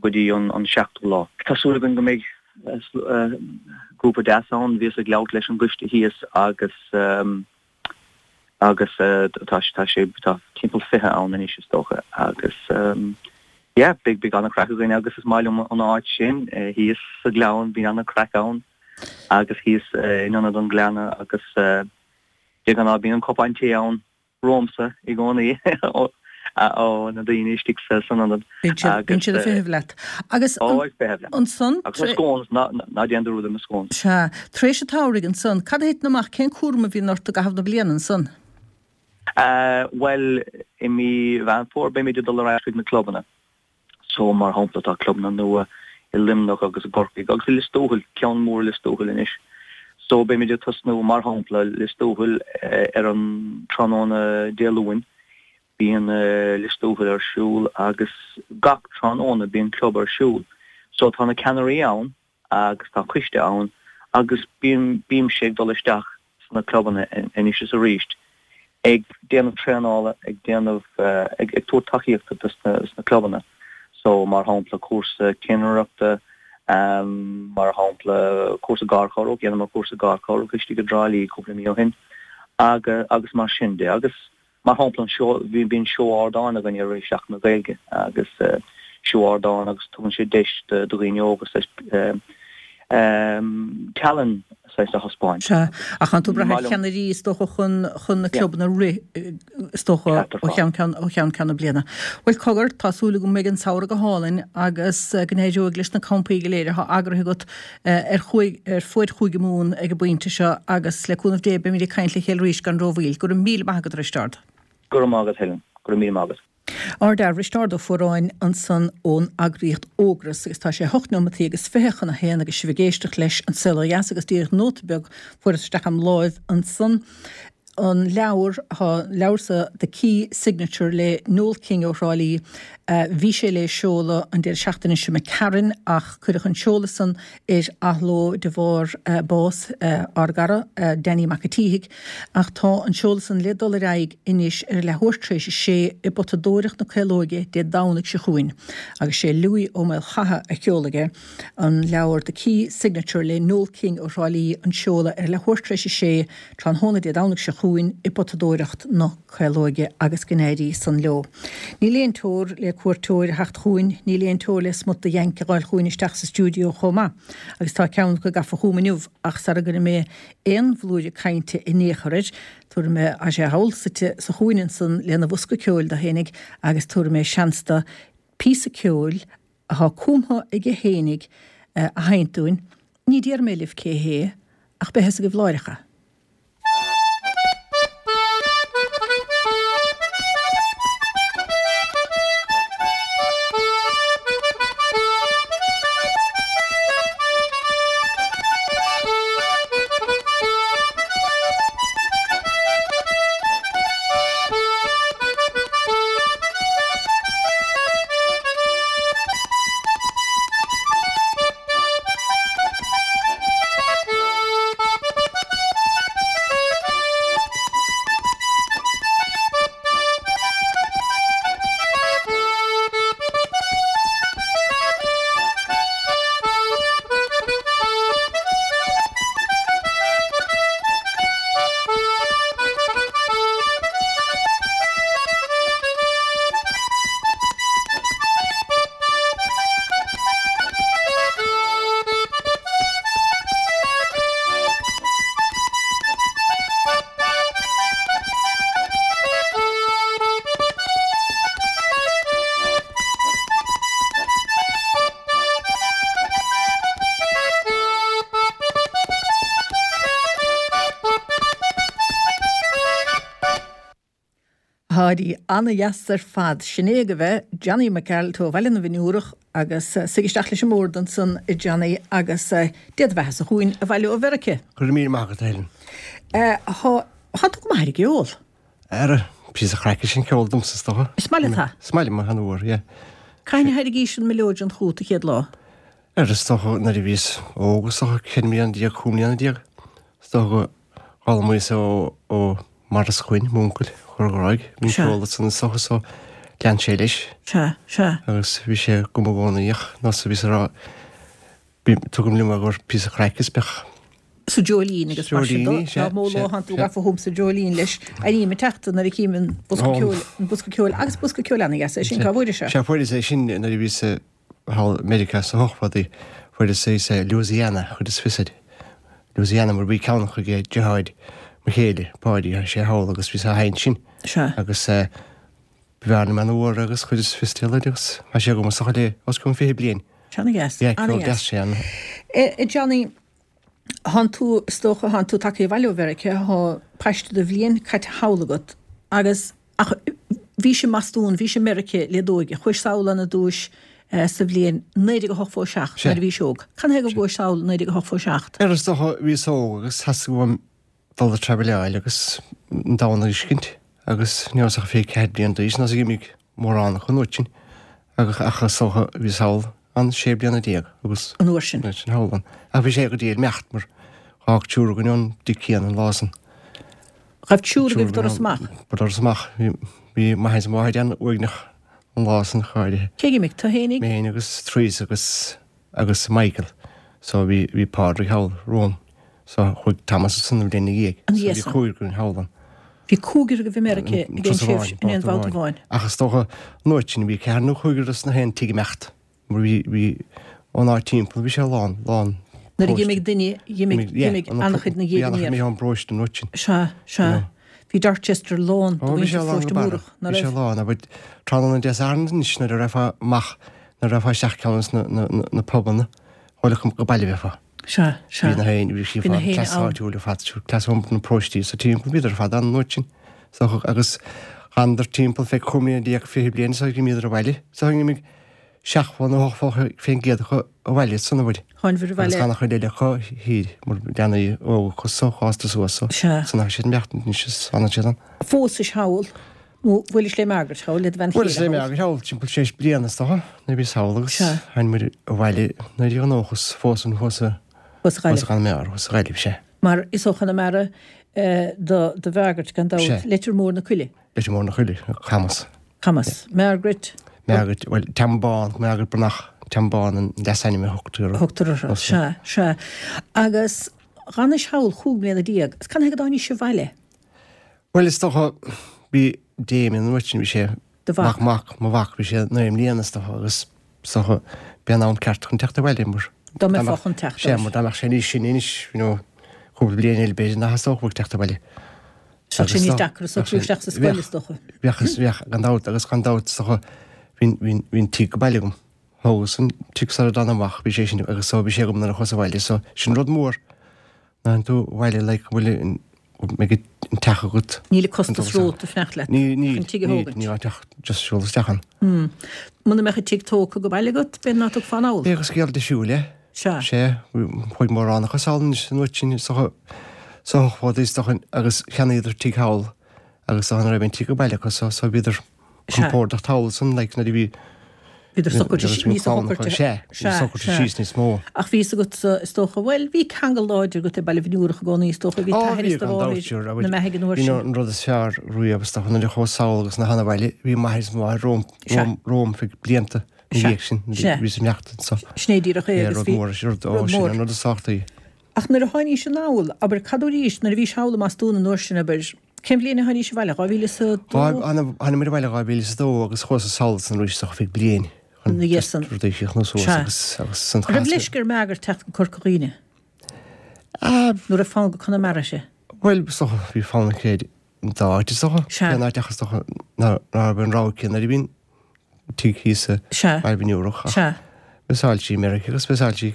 go dtí an an seachtú lá. Tá súil againn go mbeidh grúpa deas ann, bhíos ag labhairt leis an gcoiste thíos agus agus tá tá sé tá timpeall fiche ann anois is dócha agus yeah beidh beidh an-chraic againn agus is maith liom an áit sin thíos sa Ghleann, bíonn an-chraic ann agus thíos in Ionad an Ghleanna agus de ghnáth bíonn an cupán tae ann romhamsa i gcónaí ó na daoine istigh san ionad. Bíonn siad ag feitheamh leat. Agus ansan. Agus na scones, ná déan dearúd ar na scones. Sea. Tar éis an tsamhraidh ansan, cad a thiteann amach, cén cúram a bhíonn ort i gcaitheamh na bliana ansan? Bhuel, i mí Mheán Fómhair beimid ag dul ar ais chuig na clubanna. So, mar shampla, tá clubanna nua i Luimneach agus i gCorcaigh agus i Lios Tuathail, ceann mór i Lios Tuathail anois. So, beimid ag tosnú, mar shampla, Lios Tuathail ar an tráthnóna Dé Luain, bíonn Lios Tuathail ar siúl agus gach tráthnóna bíonn club ar siúl. So, tá na ceannairí ann agus tá coiste ann agus bíonn, bímse ag dul isteach sna clubanna anois is arís ag déanamh traenála, ag déanamh, ag tabhairt tacaíochta dos na clubanna. So, mar shampla, cúrsa cinnireachta, mar shampla, cúrsa garchabhrach, dheineamar cúrsa garchabhrach istigh i dTrá Lí cúpla mí ó shin, agus mar sin de. Agus mar shampla, an seó, bíonn seó ardáin againn i rith Seachtain na Gaeilge agus seó ardáin agus tugann sé deis do dhaoine óga saghas tallann saghas a thaispeáint. Sea, ach tá tú ag brath ar cheannairí is dócha chun chun na clubanna a rith is dócha ó cheann ceann ó cheann ceann na bliana. Bhuel cogar, tá súil agam go mbeidh an samhradh go hálainn agus go n-éireoidh leis na campaí go léir atá eagraithe agat ar chúig ar fuaid Chúige Mumhan ag an bpointe seo agus le cúnamh Dé beimid ag caint le chéile arís gan rómhoill. Go raibh míle maith agat a Risteárd. Go raibh maith agat Helen. Go raibh míle maith agat. Ár bhfear Risteárd Ó Fuaráin ansan ón eagraíocht Ógras agus tá sé hocht neomataí agus fiche chun a haon agus sibh ag éisteacht leis An Saol Ó Dheas agus díreach nóta beag fuarthas isteach im láimh ansan an leabhar, tá an leabhar so The Key Signature le Noel King ó Thrá Lí, bhí sé le seoladh an deireadh seachtaine seo imigh tharainn ach cuireadh an seoladh san ar athló de bharr bás ár gcara Danny Mac a' tSíthigh. Ach tá an seoladh san le dul ar aghaidh anois ar a leathuair tar éis a sé i bPotadóireacht na Caolóige Dé Domhnaigh seo chugainn agus sé Louis Ó Maolchatha a sheolfaidh é. An leabhar The Key Signature le Noel King ó Thrá Lí an seoladh ar a leathuair tar éis a sé tráthnóna Dé Domhnaigh seo chugainn i bPotadóireacht na Caolóige agus go n-éirí san leo. Níl aon teora le cuairteoir a theacht chugainn, níl aon teora le smut de Yank a ghabháil chugainn isteach sa stiúideo chomh maith agus tá ceann acu gafa chugam inniu ach sara gcuirfidh mé aon bhlúire cainte in aon chor air, tabharfaidh mé, tá sé thall suite sa chúinne ansan lena bhosca ceoil dó fhéinig agus tabharfaidh mé seans dó píosa ceoil atá cumtha aige fhéinig a sheinnt dúinn. Ní déarfaidh mé libh cé hé ach beidh a fhios agaibh láithreach. Tá ana-dheas ar fad. Sin é agaibh é, Johnny Mac Gearailt ó Bhaile na bhFionnúrach agus suigh isteach leis an mbord ansan a Johnny agus Dé do bheatha-sa chugainn abhaile ó Mheiriceá. Go raibh míle maith agat a Helen. Tá tú go maith ar an gceol. Ara, píosa craic is an ceol domsa is dócha. Is maith leat é? Is maith liom an-mhór, yeah. Cathain a thairgís an mileoidean chugat an chéad lá? Ar is dócha nuair a bhíos óg is dócha ceithre mbliana déag, cúig mbliana déag, is dócha go bhfoghlaimíos ó ó Maurice Quinn, m'uncail, Chor Ghráig, bhí Sea. ceol ansan is dócha so lean sé leis. Sea, sea. Agus bhí sé agam i gcónaí ach nós a bhíos a rá, bí, tugaim liom agur píosa craic is beadh. Sa Dreoilín agus mar sin Dreoilíní, dó. sea, Dá mó sea, lá thánn tú sea. gafa chugam sa Dreoilín leis. Airím ag teacht nuair a chím an bosca Ó. ceoil, an bosca ceoil agus bosca ceoil ana-dheas é sin, cá bhfuairis é? Sea, fuaireas é sin nuair a bhíos thall i Meiriceá sa hochmhadaí, fuaireas é sa Louisiana, chuid is fiosad. Louisiana mar bhí ceann chuig deartháir mo chéile, Páidí, tá sé thall agus bhí sé á sheinnt sin. Sea. Agus eh, b'fhearr liom an uair agus chuid is fios eile agus tá sé agam is dócha le os cionn fiche bliain. Sea, ana-dheas, Yeah, ceol ana-dheas. deas sé an. Eh, eh, Johnny, thánn tú, is dócha, thánn tú tagtha abhaile ó Mheiriceá, thá paiste de bhliain caite thall agat agus ach bhís i mBostún, bhís i Meiriceá le d'óige, chuais sall ann ar dtúis sa bhliain naoi déag a hochtó seacht nuair a bhís óg. Cad chuige go gcuais sall naoi déag a hochtó seacht? Ar is dócha bhíos óg agus theastaigh uaim dul ag traibhleáil agus an domhan a fheiscint agus ní rabhas ach fiche ceathair bliain d'aois nó d'imigh mórán acu an uair sin agus ach is dócha bhíos thall an sé bliana déag agus An uair sin. An uair sin thall ann. Ach bhí sé go diail imeacht mar d'fhág triúr againn ón dtigh céanna an lá san. Ghabh triúr agaibh doras amach? Doras amach. Bhí m'athair is mo mháthair an-uaigneach an lá san go háirithe. Cé d'imigh? Tú fhéinig? Mé fhéin agus Teresa agus agus Michael. So bhí bhí Pádraig thall romham. So chuaigh Thomas ansan an bhliain ina dhiaidh. An So bhí dhiaidh san. cúigear againn thall ann. Bhí cúigear agaibh i Meiriceá ag aon Turas tréimhse amháin, in aon babhta bhabhta amháin. amháin. Ach is dócha an uair sin bhí ceathair nó cúigear as na haon tigh ag imeacht. Mar bhí bhí ón áit timpeall bhí sé lán lán. Nuair a d'imigh duine, d'imigh d'imigh an-chuid na Bhí dhiaidh an-chuid aniar. ón bparóiste an uair sin. Sea, sea. Bhí Dorchester lán de Ó, bhí mhuintir sé lán Pharóiste go barra. Múrach, ná Bhí sé raibh? lán, abair tráthnóna Dé Sathairn anois nuair a rachfá amach, nuair a rachfá isteach ceann de na, na, na, na pubanna, chuile go baile bheifeá. Sea, sea. Bhí na haon, bhí sí Bhí na fad, haon cleas ann. áitiúil ar fad, siúr, cleas iompair na paróistí sa timpeall, bhíodar ar fad ann an uair sin. So, agus d'fhanadar timpeall fé cúig mbliana déag, fiche bliain, so d'imíodar abhaile. So d'imigh seachtó nó ochtó fén gcéad acu abhaile san uair. Tháinbhir Agus abhaile. gan chuid eile acu thiar, mar leanaí óga acu so fásta suas so. Sea. San ach siad imeacht anois is fanann siad ann. Phósais thall, nó bhuailis le Margaret thall, le do bhean Bhuaileas chéile le thall. Margaret thall, timpeall sé bliana is dócha, nuair a bhíos thall agus Sea. tháinig muid abhaile naoi déag nócha is fós an thuas a Thuas a thuas Ghaillimh. a Chonamara, thuas a Ghaillimh, sea. Mar is ó Chonamara, eh, do, do Mhargaret gan dabht, Sea. Leitir Mór na Coille. Leitir Mór na Coille, Camas. Camas. Margaret. Margaret, well, Tambán, Margaret Brnach, Tambán an leasainm a thugtar. Thugtar uirthi, sea, sea. Agus dh'fhanais thall chúig mbliana déag, is cad chuige go dtáinís abhaile? Well, is dócha, bhí Damien an uair sin, bhí sé Do mhac. Mac, mac, mo mhac, bhí sé naoi mbliana is dócha, agus is dócha, b'é an am ceart chun teacht abhaile, mar Dá mbeifeá chun teacht Sea, air. mar dá mbeadh sé níos sine anois, you know, cúpla bliain eile b'fhéidir nach dteastódh uaidh teacht abhaile. Bheadh sé Agus níos dá- deacra socrú bheadh sé- isteach sa scoil, is dócha. Bheadh, bheadh, gan dabht, agus gan dabht, is dócha, bhí, bhí, bhí an tigh go baile agam. Thógas an tigh sara dtána amach, bhí sé sin, agus so bhí sé agam nuair a chuas abhaile, so sin rud mór. Ná tú abhaile, like, go bhfuil an, go mbeidh an teach agat. Níl costas romhat ag fanacht leat. Ní, ní, Chun tigh a ní, thógaint. ní, teach just siúl isteach ann. Hmm. Muna mbeadh an tigh tógtha go baile agat, b'fhéidir nach dtiocfá anall. Bheadh scéal difriúil, é. Sea. Sea, chuaigh mórán acu sall anois an uair sin, so so chuadar isteach agus cheannaíodar tigh thall agus so an raibh an tigh go baile acu, so so bhíodar Sea. compordach thall san, like, nuair a bhí Bhíodar socraithe Bhíodar níos socraithe. Sea, Sea, socraithe sea. síos níos mó. Ach bhí fhios agat, is dócha, bhuel, bhí ceangal láidir agat le Baile Bhinn Iúrach i gcónaí, is dócha, bhí Ó, t'athair bhí is do gan dabht, mháthair sure, na mbeathaigh an uair Bhí sin. an rud is fearr riamh, is dócha, nuair a chuas sall agus na hana bhaile, bhí m'athair is mo mháthair romham, Sea. romham, romham feadh blianta ina Sea. dhiaidh sin, Sea. bhí siad imeacht anso. Sin é díreach é É, agus rud bhí mór, sin rud, ó, rud sin mór. an rud is tábhachtaí. Ach nuair a tháinís anall, abair, cad arís, nuair a bhís thall i mBostún an uair sin, abair, cén bhliain a tháinís abhaile, dhá mhíle is a dó? Tháinig muid abhaile dhá mhíle is a dó agus chuas sall san arís ach feadh bliain. Ina dhiaidh san. Rudaí a chríochnú suas Sea. agus, agus san An raibh chás. leisce ar Margaret teacht go Corca Dhuibhne? Ah, Nó raibh fonn go Conamara uirthi? Bhuel, is dócha, bhí fonn aici ar an dá áit, is dócha. Sea. Cén áit ach is dócha ná, ná raibh an rogha aici nuair a bhí an tigh thíos sa Sea. Baile Bhinn Iúrach, ach Sea. Mheasáil sí Meiriceá agus mheasáil sí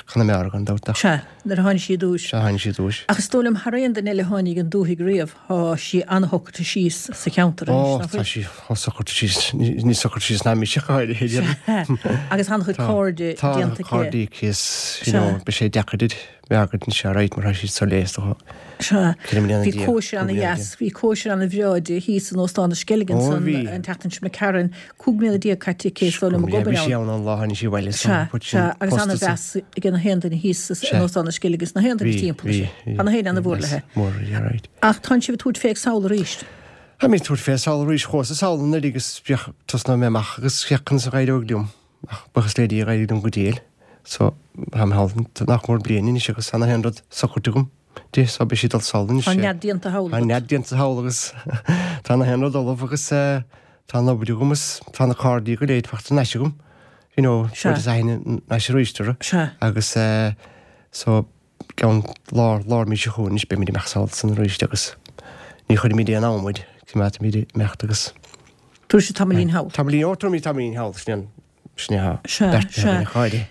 Conamara gan dabht ach. Sea, nuair a tháinig sí i dtús. Sea, tháinig sí i dtús. Ach is dóigh liom thar aon duine eile a tháinig an dúthaigh riamh, tá sí an-shocraithe síos sa cheantar anois, Ó, nach tá bhfuil? sí chomh socraithe síos, níos socraithe síos ná mise go háirithe, déarfainn. Sea, agus an-chuid Tá, cairde tá déanta aici. cairde aici is, you Sea. know, beidh sé deacair di b'fhearr anois alright mar tá siad soiléir is dócha. Sea. Ceithre mbliana Bhí déag, cóisir cúig ana bliana dheas, bhí cóisir ana bhreá di thíos in Óstán na Sceilg Ó, ansan bhí. an tseachtain seo imigh tharainn, cúig mbliana déag caite aici is dóigh liom ag Bhí obair sí ann. ann an lá tháinig sí abhaile so Sea, put sin sea, agus ana post mheas ag na haon duine thíos in Sea. Óstán na Sceilg agus na haon duine Bhí, timpeall bhí, leis. bhí. Tá na haon ana mhór Yes, léi. Mór, yeah, right. Ach tánn sibh ag tabhairt fé sall arís. Tá mé ag tabhairt fé sall arís chuas sall anuraidh agus bhíodh tosnóidh mé amach agus féach conas a d'éireodh liom ach buíochas le Dia d'éirigh liom go diail. So tá mé thall nach mór bliain anois agus tá na haon rud socraithe agam di so beidh sí dul sall anois. Tá nead déanta thall Tá agat. nead déanta thall agus tá na haon rud ullamh agus eh, tá an obair agam agus tá na cairde go léir fachta anois agam. You know, Sea. rud is aithne anois arís orthu. Sea. Agus eh, so ceann lár lár mí seo chugainn anois beimid amach sall san arís agus ní chuirfimid aon am muid coimeádfaimid imeacht agus Tabharfaidh sibh tamaillín thall. Tamaillín ó tabharfaimid tamaillín thall sin an sin é Sea, beirt sea. chairde.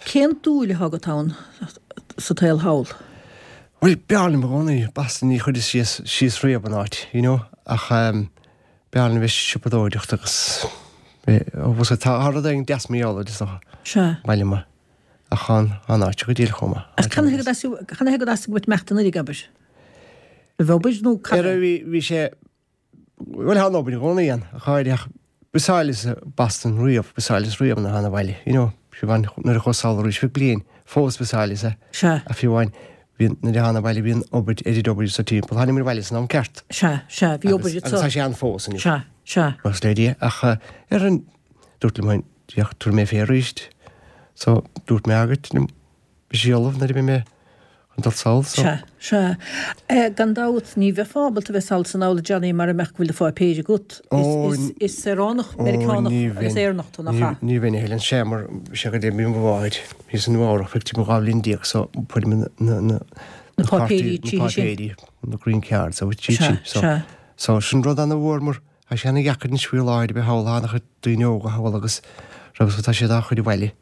Cén dúil atá agat ann sa tsaol thall? Bhuel b'fhearr liom i gcónaí Boston ní chuireas síos síos riamh an áit, you know, ach um, b'fhearr liom bheith siopadóireacht agus bhus tá rud éigin deas mar gheall air is dócha. Sea. Baile maith. Ach an an áit go díreach chomh maith. Ach can thuig can thuig as go meachtan nuair abair? Le bheith obair nó Ar bhí bhí sé bhuel tá an obair i gcónaí ann, a chairde ach b'áil Boston riamh, b'áil riamh na hana bhaile, you know, fiú amháin nuair a chuas sall arís feadh bliain, fós b'áil é. Sea. A fiú amháin bhí nuair a thána abhaile bhí an obair oiread obair sa timpeall, tháinig muid abhaile san am ceart. Sea, sea, bhí obair Agus tá sé ann fós inniu. Sea, sea. Buíochas le Dia, ach eh, ar an dúirt liom féin, diach tabharfaidh mé fé arís. So dúirt mé agat liom, bhí sí ullamh nuair a bhí mé chun dul sall, so. Sea, sea. Eh, gan dabht ní bheifeá ábalta bheith sall san am Johnny mar a mbeadh go bhfuil do pháipéir agat. Ó, Is, is, is saoránach Meiriceánach ní agus bheinn. Éireannach tú nach Ní ea? ní bheinn a Helen sé mar sé go dtí mo mháthair thíos in Nua-Eabhrac feadh timpeall dhá bhliain déag so fuair mé na na Na páipéirí na tríthi sin. páipéirí na green cards so Sea, sin so sea. so sin rud ana-mhór mar tá sé ana-dheacair anois faoi láthair a bheith thall an-chuid daoine óga thall agus agus tá siad á chur abhaile.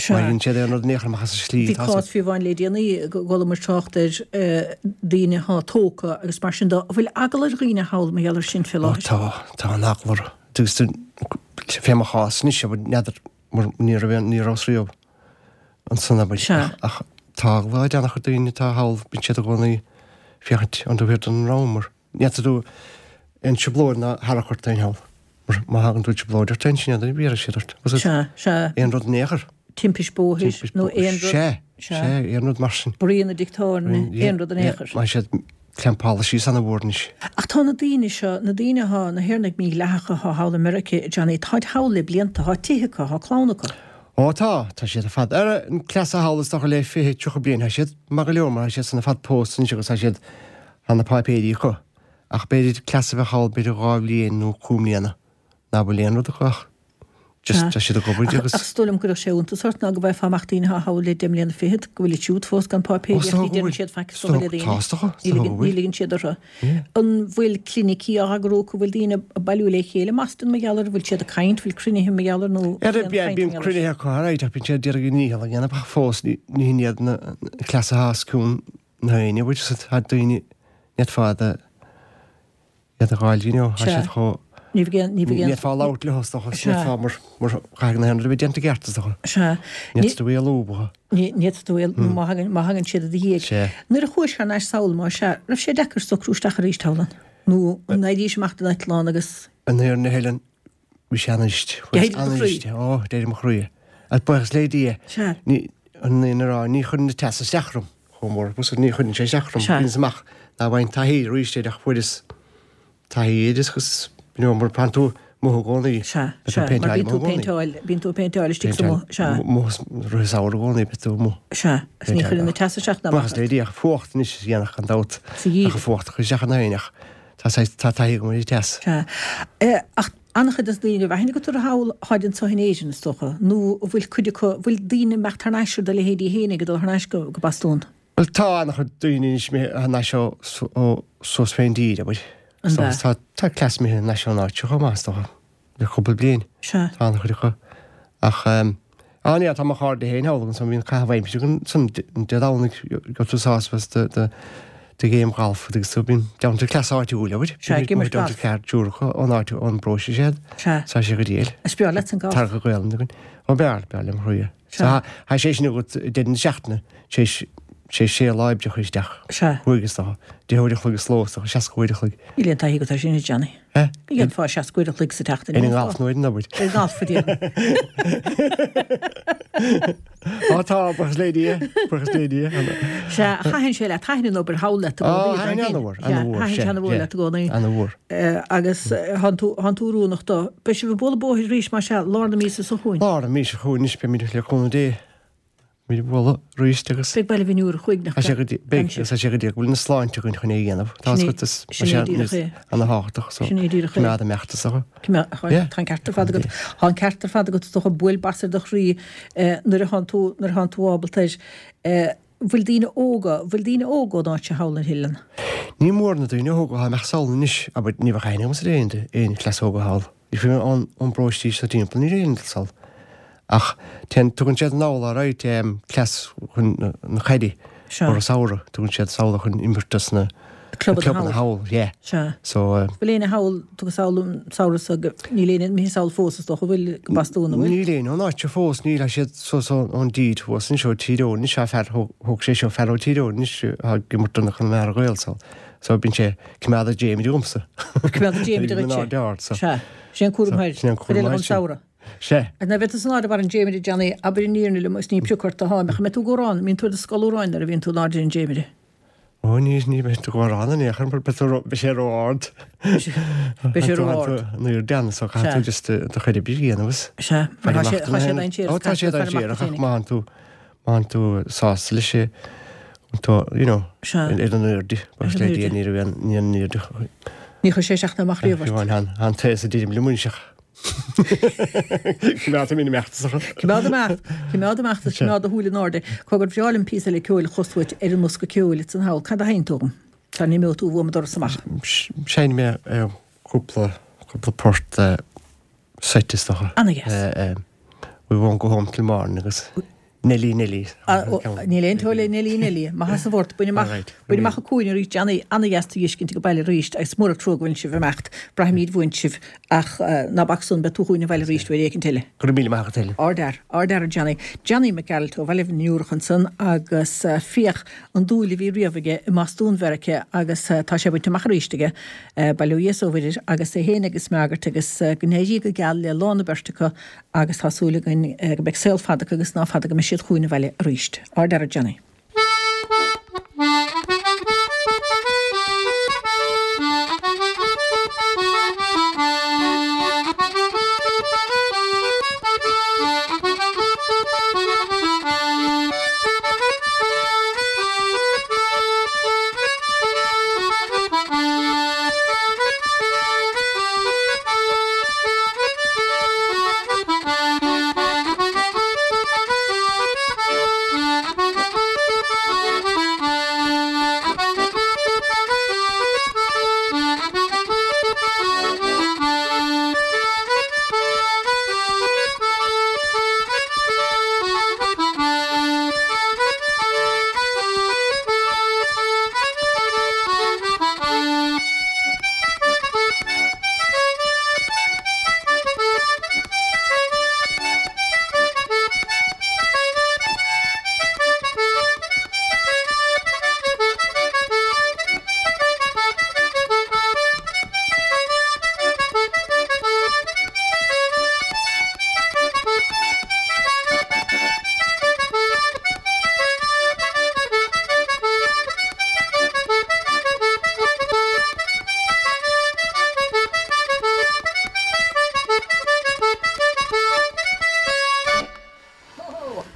Sea. Má bhíonn siad aon rud in aon chor amach as an slí Bhí tá cás fiú amháin le déanaí go bhfuil trácht ar eh, daoine atá tógtha agus mar sin de an bhfuil eagla ar dhaoine thall mar gheall air sin fé Ó, láthair. tá tá an eagla orthu. Agus fé mo chás anois abair n'fheadar mar ní raibh aon- ní raibh riamh ansan abair. Sea. Ach tá eagla ar an-chuid daoine atá thall bíonn siad i gcónaí féachaint an taobh thiar den ram mar ní fhéadfaidh tú aon trioblóid ná tharrac ort féin thall. Mar má thagann tú trioblóid ort féin sin iad bhéarfaidh siad ort. Was it Sea, sea. aon rud in aon chor? Timpiste bóthair Timpist nó bó- aon rud. Sea, Sea. sea, aon rud mar sin. Bruíon i dtigh tábhairne, aon rud in aon chor. Má siad clampála síos ana-mhór anois. Ach tá na daoine seo, na daoine atá, na hÉireannaigh mídhleathacha atá thall i Meiriceá, Johnny, táid thall le blianta, tá tithe acu, tá clann acu. Ó tá, tá siad ar fad. Ar an cleas thall is dócha le fiche tríocha bliain, tá siad maith go leor mar tá siad san ar fad pósta anois agus tá siad tá na páipéirí acu. Ach b'fhéidir cleas a bheith thall b'fhéidir dhá bhliain nó cúig mbliana. Ná bhfuil aon rud acu ach just Sea. tá siad ag obair Ach agus ach is dóigh liom go raibh sé iontas ort ná go bhfaighfeá amach daoine atá thall le deich mbliana fichead, go bhfuil siad fós gan páipéirí Ó, ach is dócha ní go deireann bhfuil. siad faic Is is dócha le dócha- daoine. tá, is dócha, is Ní dócha ligeann go bhfuil. ní ligeann siad orthu. An bhfuil clinicí á eagrú go bhfuil daoine ag bailiú le chéile i mBoston mar gheall air, bhfuil siad ag caint, bhfuil cruinnithe mar gheall air nó Ar cén bíonn chaint bíonn mar gheall air? cruinnithe acu ar aghaidh, ach bíonn siad ag iarraidh a ndícheall a dhéanamh ach fós ní ní hin iad na cleasa atá os cionn na haoine, bhfuil siad tá daoine net fada iad a gháil, you know, tá Sea. siad chomh Ní bheidh ní bheidh Ní fá labhairt leo is dócha, Sea. ní fá mar mar chaithfidh na haon rud a bheith déanta ceart is dócha. Sea. Ní tú é a lúbadh. Ní ní tú é má thagann má thagann siad i do dhiaidh. Sea. Nuair a chuais thar n-ais sall mar sea, raibh sé deacair socrú isteach arís thall ann. Nó an n-éirís amach den eitleán agus An nuair na Helen bhí sé an-íst. D'éirigh do chroí. Ó, d'éirigh mo chroí. Ach buíochas le Dia. Sea. Ní an ní rá ní chuireann an teas isteach orm chomh mór, bus ní chuireann sé isteach orm. Sea. Bíonn amach ná bhain taithí arís ach fuaireas taithí agus you know, mar bíonn tú amuigh i gcónaí. Sea, Beidh tú sea, mar péinteáil bíonn tú amuigh i gcónaí. péinteáil, bíonn tú péinteáil istigh sa mo, sea. Rith samhradh i gcónaí beidh tú amuigh. Sea, is ní chuireann an teas isteach ná Buíochas le Dia ach fuacht anois is dhéanach gan dabht. Sa gheimhreadh. Ach fuacht chuir isteach an aoinach. Tá sé- tá taithí agam ar an teas. Sea. Eh, ach an-chuid des na daoine a bheith agat thall tháid anseo in Éirinn is dócha, nó an bhfuil cuid acu, bhfuil daoine imeacht thar n-ais ar do leithéidí féin ag dul thar n-ais go, go Bostún. Well tá an-chuid daoine anois imithe thar n-ais ó ó suas fén dtír, abair. An So, bea? tá tá cleas imithe thar n-ais ón áit seo chomh maith, is dócha, le cúpla bliain. Sea. Tá an-chuid acu. Ach um, á ní, tá mo chairde féin thall agus bhíonn caitheamh aimsire againn san Dé Domhnaigh go tú sásamh de de de game golf agus so bíonn down to cleas áitiúil, abair. Sea, ag imirt Down to golf. ceart triúr ón áit ón bparóiste siad. Sea. Tá sé go diail. Is breá leat an golf. Tar go Gaelainn againn. Ó b'fhearr, b'fhearr liom chroí. Sea. So tá sé sin agat deireadh na seachtaine, sé sé sé lá oibreacha isteach. Sea. Cúig is dócha. Deich uair a chloig sa ló is dócha, seasca uair a chloig. Níl aon taithí agat air sin, a Johnny. Eh? Ní dhéanfá seasca uair a chloig sa tseachtain. Ar an ngalf nó ar an obair. Ar an ngalf, a déarfainn. Á tá, buíochas le Dia, buíochas le Dia. Sea, thaitin sé leat, thaitin an obair thall leat i gcónaí. Á, thaitin an-mhór, an-mhór, Thaitin sé an-mhór leat i gcónaí. An-mhór. Agus thánn tú, thánn tú oiriúnach dó. Beidh sibh ag bualadh bóthair arís, más ea, lár na míosa seo chugainn. Lár na míosa seo chugainn anois, beimid le cúnamh Dé. Beimid ag bualadh arís agus. Beidh Baile Bhinn Iúrach uaigneach. Tá sé go dtí, beidh, tá sé go dtí go bhfuil na sláinte againn chun é a dhéanamh. Tá Sin é, a fhios agat, is, sin é díreach é. ana-thábhachtach, so. Sin é díreach é. Coimeád imeacht is dócha. Coimeád, tá an ceart ar fad agat. Tá an ceart ar fad agat is dócha, buail bas ar do chroí nuair a thánn tú, nuair a thánn tú ábalta air. Bhfuil daoine óga, bhfuil daoine óga ón áit seo thall ar oileán? Ní mór na daoine óga atá imeacht sall anois, abair, ní bheadh aithne agamsa ar aon, aon chleas óga thall. Ní fiú ón, ón bparóiste seo timpeall, níl aon dul sall. Ach téann, tugann siad anall all right, cleas chun na, na caidí. Sea. Ar an samhradh, tugann siad sall chun imirt dos na Clubanna clubanna thall. thall, yeah. Sea. So, eh. Bhfuil éinne thall, tugtha sall an samhradh so go, níl éinne imithe sall fós is dócha, bhfuil, go Bostún, an bhfuil? Níl éinne ón áit seo fós, níl, tá siad suas ón, ón dtír thuas anseo, Tír Eoghain, anois tá fear, thóg, thóg sé seo fear ó Tír Eoghain anois atá ag imirt do na Conamara Gaels thall. So bíonn sé coimeád ag Jamie agamsa. Coimeád ag Jamie Bíonn duitse. an aird ard, so. Sea. Sin é an cúram So, thoir. sin é an cúram Cuir eile thoir, an sin. samhradh. Sea. Agus nuair a bheidh tú san airde ar an Jamie Johnny, abair an fhírinne liom, is ní pioc ort atá mé, ach an mbeidh tú ag amhrán, an mbíonn tú ar do scolamhráin nuair a bhíonn tú in airde ar an Jamie? Ó, ní, ní bheidh tú ag amhrán in aon chor, beidh tú ró, beidh sé ró-ard. Beidh sé ró-ard. Nuair dean, so caithfidh tú just do chuid oibre a dhéanamh is. Sea, mar tá sé, tá sé dainséarach. Ó, tá sé dainséarach, ach má thánn tú, má thánn tú sásta leis é, tú, you know, Sea. ar an airde, Ar an le Dia, airde. ní raibh aon, ní an airde. Ní chuir sé isteach ná amach riamh ort. Fiú amháin, thá an taos a deirim liom anois ach. Coimeád mé imeacht sa. Coimeád amach, coimeád amach is coimeád do shúil in airde. Cogar bhreá liom píosa eile ceoil a chlos uait ar an mbosca ceoil ansan thall. Cad a sheinneann tú dhom? Sara n-imeoidh tú uaim an doras amach. Sheinn mé cúpla, cúpla port seite is dócha. Ana-dheas. We won't go home till morning agus Nelly Nelly. Níl aon tóil le Nelly Nelly. Maith as an bhort, bain amach, bain amach an cúinne arís, Johnny, ana-dheas tú a fheiscint ag baile arís agus mór an trua go bhfuil sibh ag imeacht. Braithimid uainn sibh ach ná bac san, beidh tú chugainn abhaile arís uair éicint eile. Go raibh míle maith agat Helen. Ardfhear, ardfhear Johnny. Johnny Mac Gearailt ó Bhaile na nIúrach ansan agus féach an dúil a bhí riamh aige i mBostún Mheiriceá agus tá sé bainte amach arís aige, bail ó Dhia is ó Mhuire agus é féin agus Margaret agus go n-éirí go geal le lán na beirte acu agus tá súil againn go mbeidh saol fada acu agus ná fada go mbeidh siad chugainn abhaile arís. Ardfhear Johnny.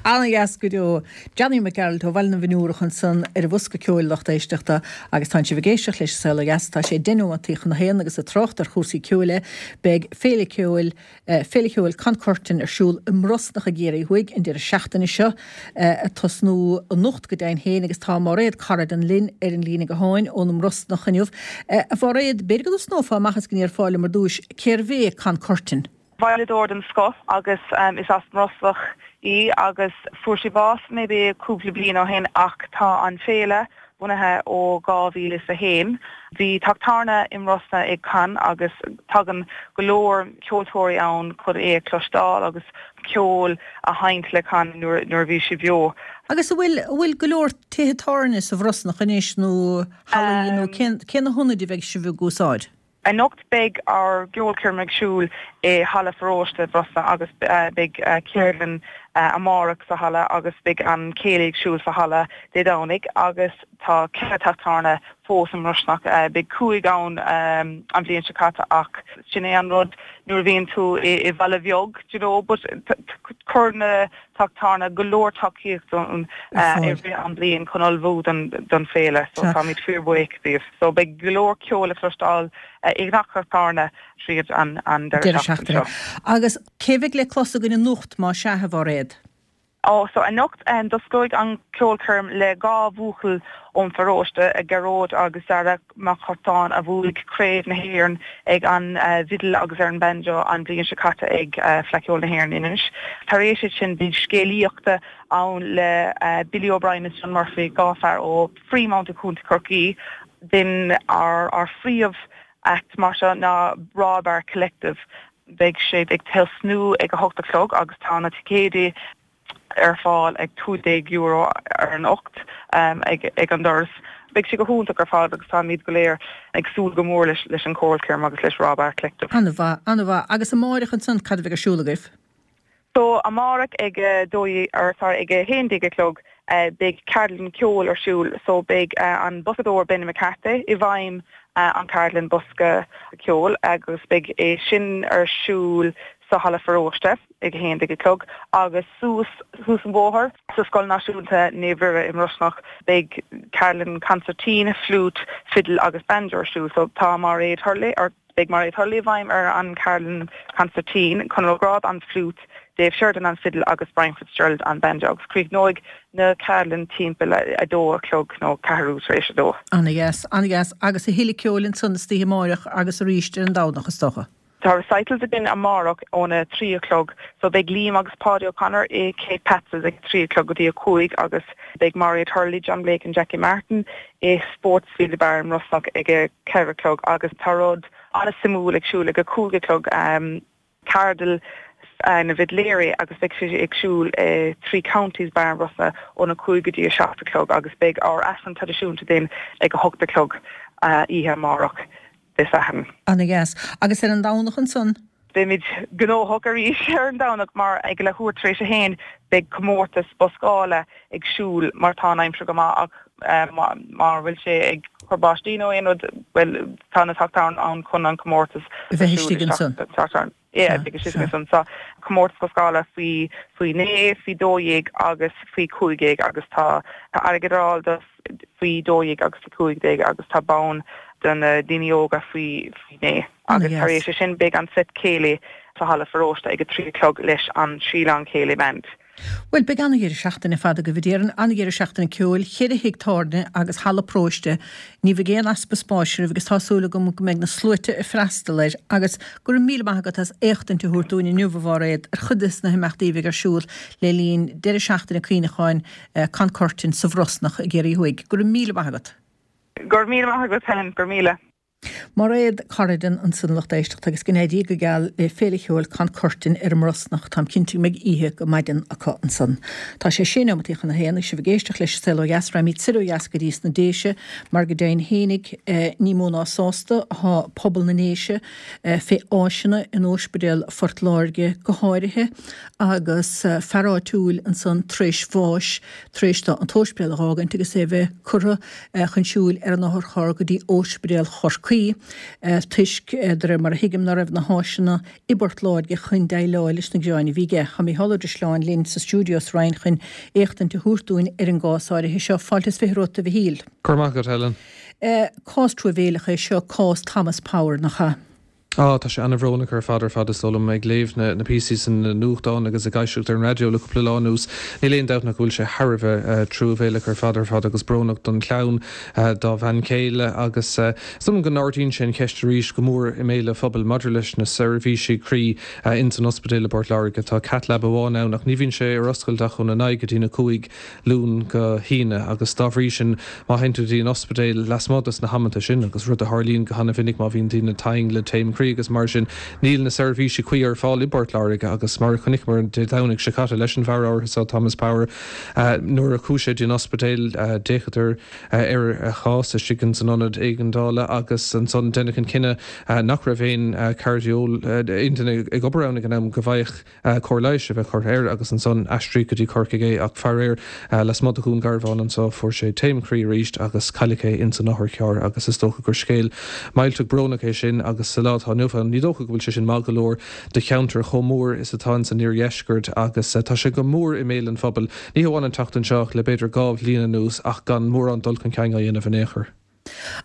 Ana-dheas go deo. Johnny Mac Gearailt ó Bhaile na bhFionnúrach ansan ar an bhosca ceoil lucht éisteachta agus tánn sibh ag éisteacht leis an Saol Ó Dheas. Tá sé deich nóimeataí chun a haon agus ag trácht ar chúrsaí ceoil é. Beidh Féile Ceoil Féile Cheoil Con Curtin ar siúl i mBrosnach i gCiarraí Thuaidh an deireadh seachtaine seo ag tosnú anocht go deimhin féin agus tá Máiréad Corrigan linn ar an líne gutháin ón mBrosnach inniu. A Mháiréad, b'fhéidir go dtosnófá amach is go ndéarfá liom ar dtúis cérbh é Con Curtin? Veidhleadóir den scoth agus is as mBrosnach í agus fuair sí bás maybe cúpla bliain ó shin ach tá an féile bunaithe ó dhá mhíle is a haon. Bhí teach tábhairne i mBrosna ag Con agus tagann go leor ceoltóirí ann chun é a chloisteáil agus ceol a sheinnt le Con nuair nuair a bhí sé beo. Agus an bhfuil an bhfuil go leor tithe tábhairne sa Bhrosnach anois nó hallaí nó cén cé na hionaid a bheidh sibh ag úsáid? Anocht beidh ár gceolchoirm ag siúl i Halla Pharóiste Brosna agus beidh ceardlann amárach sa halla agus beidh an céilí ag siúl sa halla Dé Domhnaigh agus tá ceithre teach tábhairne fós i mBrosnach. Beidh cúig ann an bhliain seo caite ach sin é an rud nuair a bhíonn tú i bhaile bheag do you know but chuir na teach tábhairne go leor tacaíocht dúinn i rith an bhliain chun ullmhú don don féile so táimid fíorbhuíoch díobh. So beidh go leor ceol le cloisteáil i ngach teach tábhairne tríd an an deireadh seachtaine seo. Agus cé bheidh le clos againn anocht más ea, a Mhairéad? Ó, so anocht tosóidh an ceolchoirm le dhá bhuachaill ón pharóiste, Gearóid agus Dara Mac Curtáin a bhuaigh Craobh na hÉireann ag an bhfidil agus ar an banjo an bhliain seo caite ag Fleadh Cheoil na hÉireann in Inis. Tar éis sin beidh scéalaíochta ann le Billy O'Brien is John Murphy, dhá fear ó Freemount i Contae Chorcaí. Then ár ár phríomh act mar seo ná Raw Bar Collective. Beidh siad ag tosnú ag a hocht a chlog agus tá na ticéidí ar fáil ag cúig déag euro ar anocht ag ag an doras. Beidh sé go hiontach ar fad agus táimid go léir ag súil go mór leis leis an ceolchoirm agus leis Raw Bar Collective. An-mhaith, an-mhaith. Agus amárach ansan cad a bheidh ar siúl agaibh? So amárach ag a dó or sorry ag a haon déag a chlog beidh ceardlann ceoil ar siúl so beidh an boscadóir Benny McCarthy i bhfeidhm an ceardlann bosca ceoil agus beidh é sin ar siúl sa halla pharóiste ag a haon déag a chlog agus suas thuas an bóthar sa Scoil Náisiúnta Naomh Mhuire i mBrosnach beidh ceardlann concertina, flute, fiddle agus banjo ar siúl so tá Mairéad Hurley or beidh Mairéad Hurley i bhfeidhm ar an ceardlann concertina, Conor Ó Gráda an flute, Dave Sheridan an fiddle agus Brian Fitzgerald an banjo agus críochnóidh na ceardlann timpeall a dó a chlog nó ceathrú tar éis a dó. Ana-dheas, ana-dheas agus a thuilleadh ceoil ansan istoíche amárach agus arís ar an Domhnach is dócha. Tá recitals againn amárach óna trí a chlog so beidh Liam agus Páidí O'Connor i Kate Pat's ag trí a chlog go dtí a cúig agus beidh Mairéad Hurley, John Blake and Jackie Martin i Sportsfield Bar i mBrosnach ag a ceithre a chlog agus tá rud an-suimiúil ag siúl ag a cúig a chlog um, ceardlann na bhfidléirí agus beidh sé ag siúl uh, Three Counties Bar i mBrosna óna cúig go dtí a seacht a chlog agus beidh ár Aifreann traidisiúnta din ag a hocht a chlog uh, oíche amárach. Dé Sathairn. Ana-dheas. Agus ar an Domhnach ansan? Beimid gnóthach arís ar an Domhnach mar ag leathuair tar éis a haon beidh comórtas boscála ag siúl mar tá an aimsir go maith ach uh, mar bhfuil sé ag cur báistí nó aon rud well tá na teach ann chun an comórtas bheith istigh ansan. Yeah, beidh sé ansan so comórtas boscála faoi faoi naoi, faoi dó dhéag agus faoi cúig déag agus tá tá airgead ar fáil do faoi dó dhéag agus faoi cúig déag agus tá bonn do na daoine óga faoi faoi naoi. Agus tar éis sin beidh an set céilí sa halla pharóiste ag a trí chlog leis an Síleán Céilí Band. Bhuel, beidh an-dheireadh seachtaine fada agaibh a déarfainn, an-dheireadh seachtaine ceoil, cheithre thigh tábhairne agus halla paróiste. Ní bheidh aon easpa spáis oraibh agus tá súil agam go mbeidh na sluaite ag freastal air agus go raibh míle maith agat as éachtaint a thabhairt dúinn inniu a Mhairéad ar chuid de na himeachtaí a bheidh ar siúl le linn deireadh seachtaine cuimhneacháin Con Curtin sa Bhrosnach i gCiarraí Thuaidh. Go raibh míle maith agat. Go raibh míle maith agat Helen, go raibh míle. Mairéad Corrigan ansan lucht éisteachta agus go n-éirí Dia go geal le Féile Cheoil Con Curtin ar an mBrosnach, táim cinnte go mbeidh oíche go maidin acu ansan. Tá sé sé nóimeataí chun a haon agus sibh ag éisteacht leis an Saol Ó Dheas, raghaimid soir ó dheas go dtí sna Déise mar go deimhin fhéinig ní mó ná sásta atá pobal na nDéise fé áiseanna in Óispidéal Phort Láirge go háirithe agus fear áitiúil ansan tar éis bháis tar éis dó an t-óispidéal a dh'fhágaint agus é bheith curtha chun siúil ar an otharcharr go dtí Óispidéal Chorcaí toisc, de réir mar a thuigim, ná raibh na háiseanna i bPort Láirge chun déileáil leis na gearáin a bhí aige. Tá Mícheál Ó Drisleáin linn sa stiúideo sa Rinn chun éachtaint a thabhairt dúinn ar an gcás áirithe seo. Fáilte is fiche romhat, a Mhichíl. Go raibh maith agat, Helen. Cás truamhéileach é seo, cás Thomas Power, nach ea? Á, tá sé an-bhrónach ar fad ar fad is dóigh liom ag léamh na na píosaí san nuachtán agus ag éisteacht ar an raidió le cúpla lá anuas. Níl aon dabht ach go bhfuil sé thar a bheith truamhéalach ar fad ar fad agus brónach don chlann, dá bhean chéile agus is dóigh liom go n-ardaíonn sé an cheist arís go mór i mbéal an phobail maidir leis na seirbhísí croí ins an ospidéal i bPort Láirge. Tá cath lab amháin ann ach ní bhíonn sé ar oscailt ach óna naoi go dtí na cúig Luan go hAoine agus dá bhrí sin má théann tú dtí an ospidéal lasmuigh dos na hamanta sin, agus rud a tharlaíonn go han-mhinic má bhíonn daoine tinn le taom croí agus mar sin, níl na seirbhísí cuí ar fáil i bPort Láirge agus mar a chonaiceamar an Dé Domhnaigh seo caite leis an bhfear áirithe seo, Thomas Power, nuair a chuaigh sé dtí an ospidéal d'fhéachadar ar a chás istigh ins an ionad éigeandála agus ansan deineadh an cinneadh nach raibh aon cardiol aon duine ag obair ann ag an am go bhfaigheadh cóir leighis a bheith curtha air agus ansan aistríodh go dtí Corcaigh é ach faraor lasmuigh de Dhún Garbhán anso fuair sé taom croí arís agus cailleadh é ins an otharcharr agus is dócha gur scéal millteach brónach é sin agus sa lá atá inniu ann ní dócha go bhfuil sé sin maith go leor do cheantar chomh mór is atá ins an iardheisceart agus tá sé go mór i mbéal an phobail, ní hamháin an tseachtain seo ach le b'fhéidir dhá bhliain anuas ach gan mórán dul chun cinn á dhéanamh in aon chor.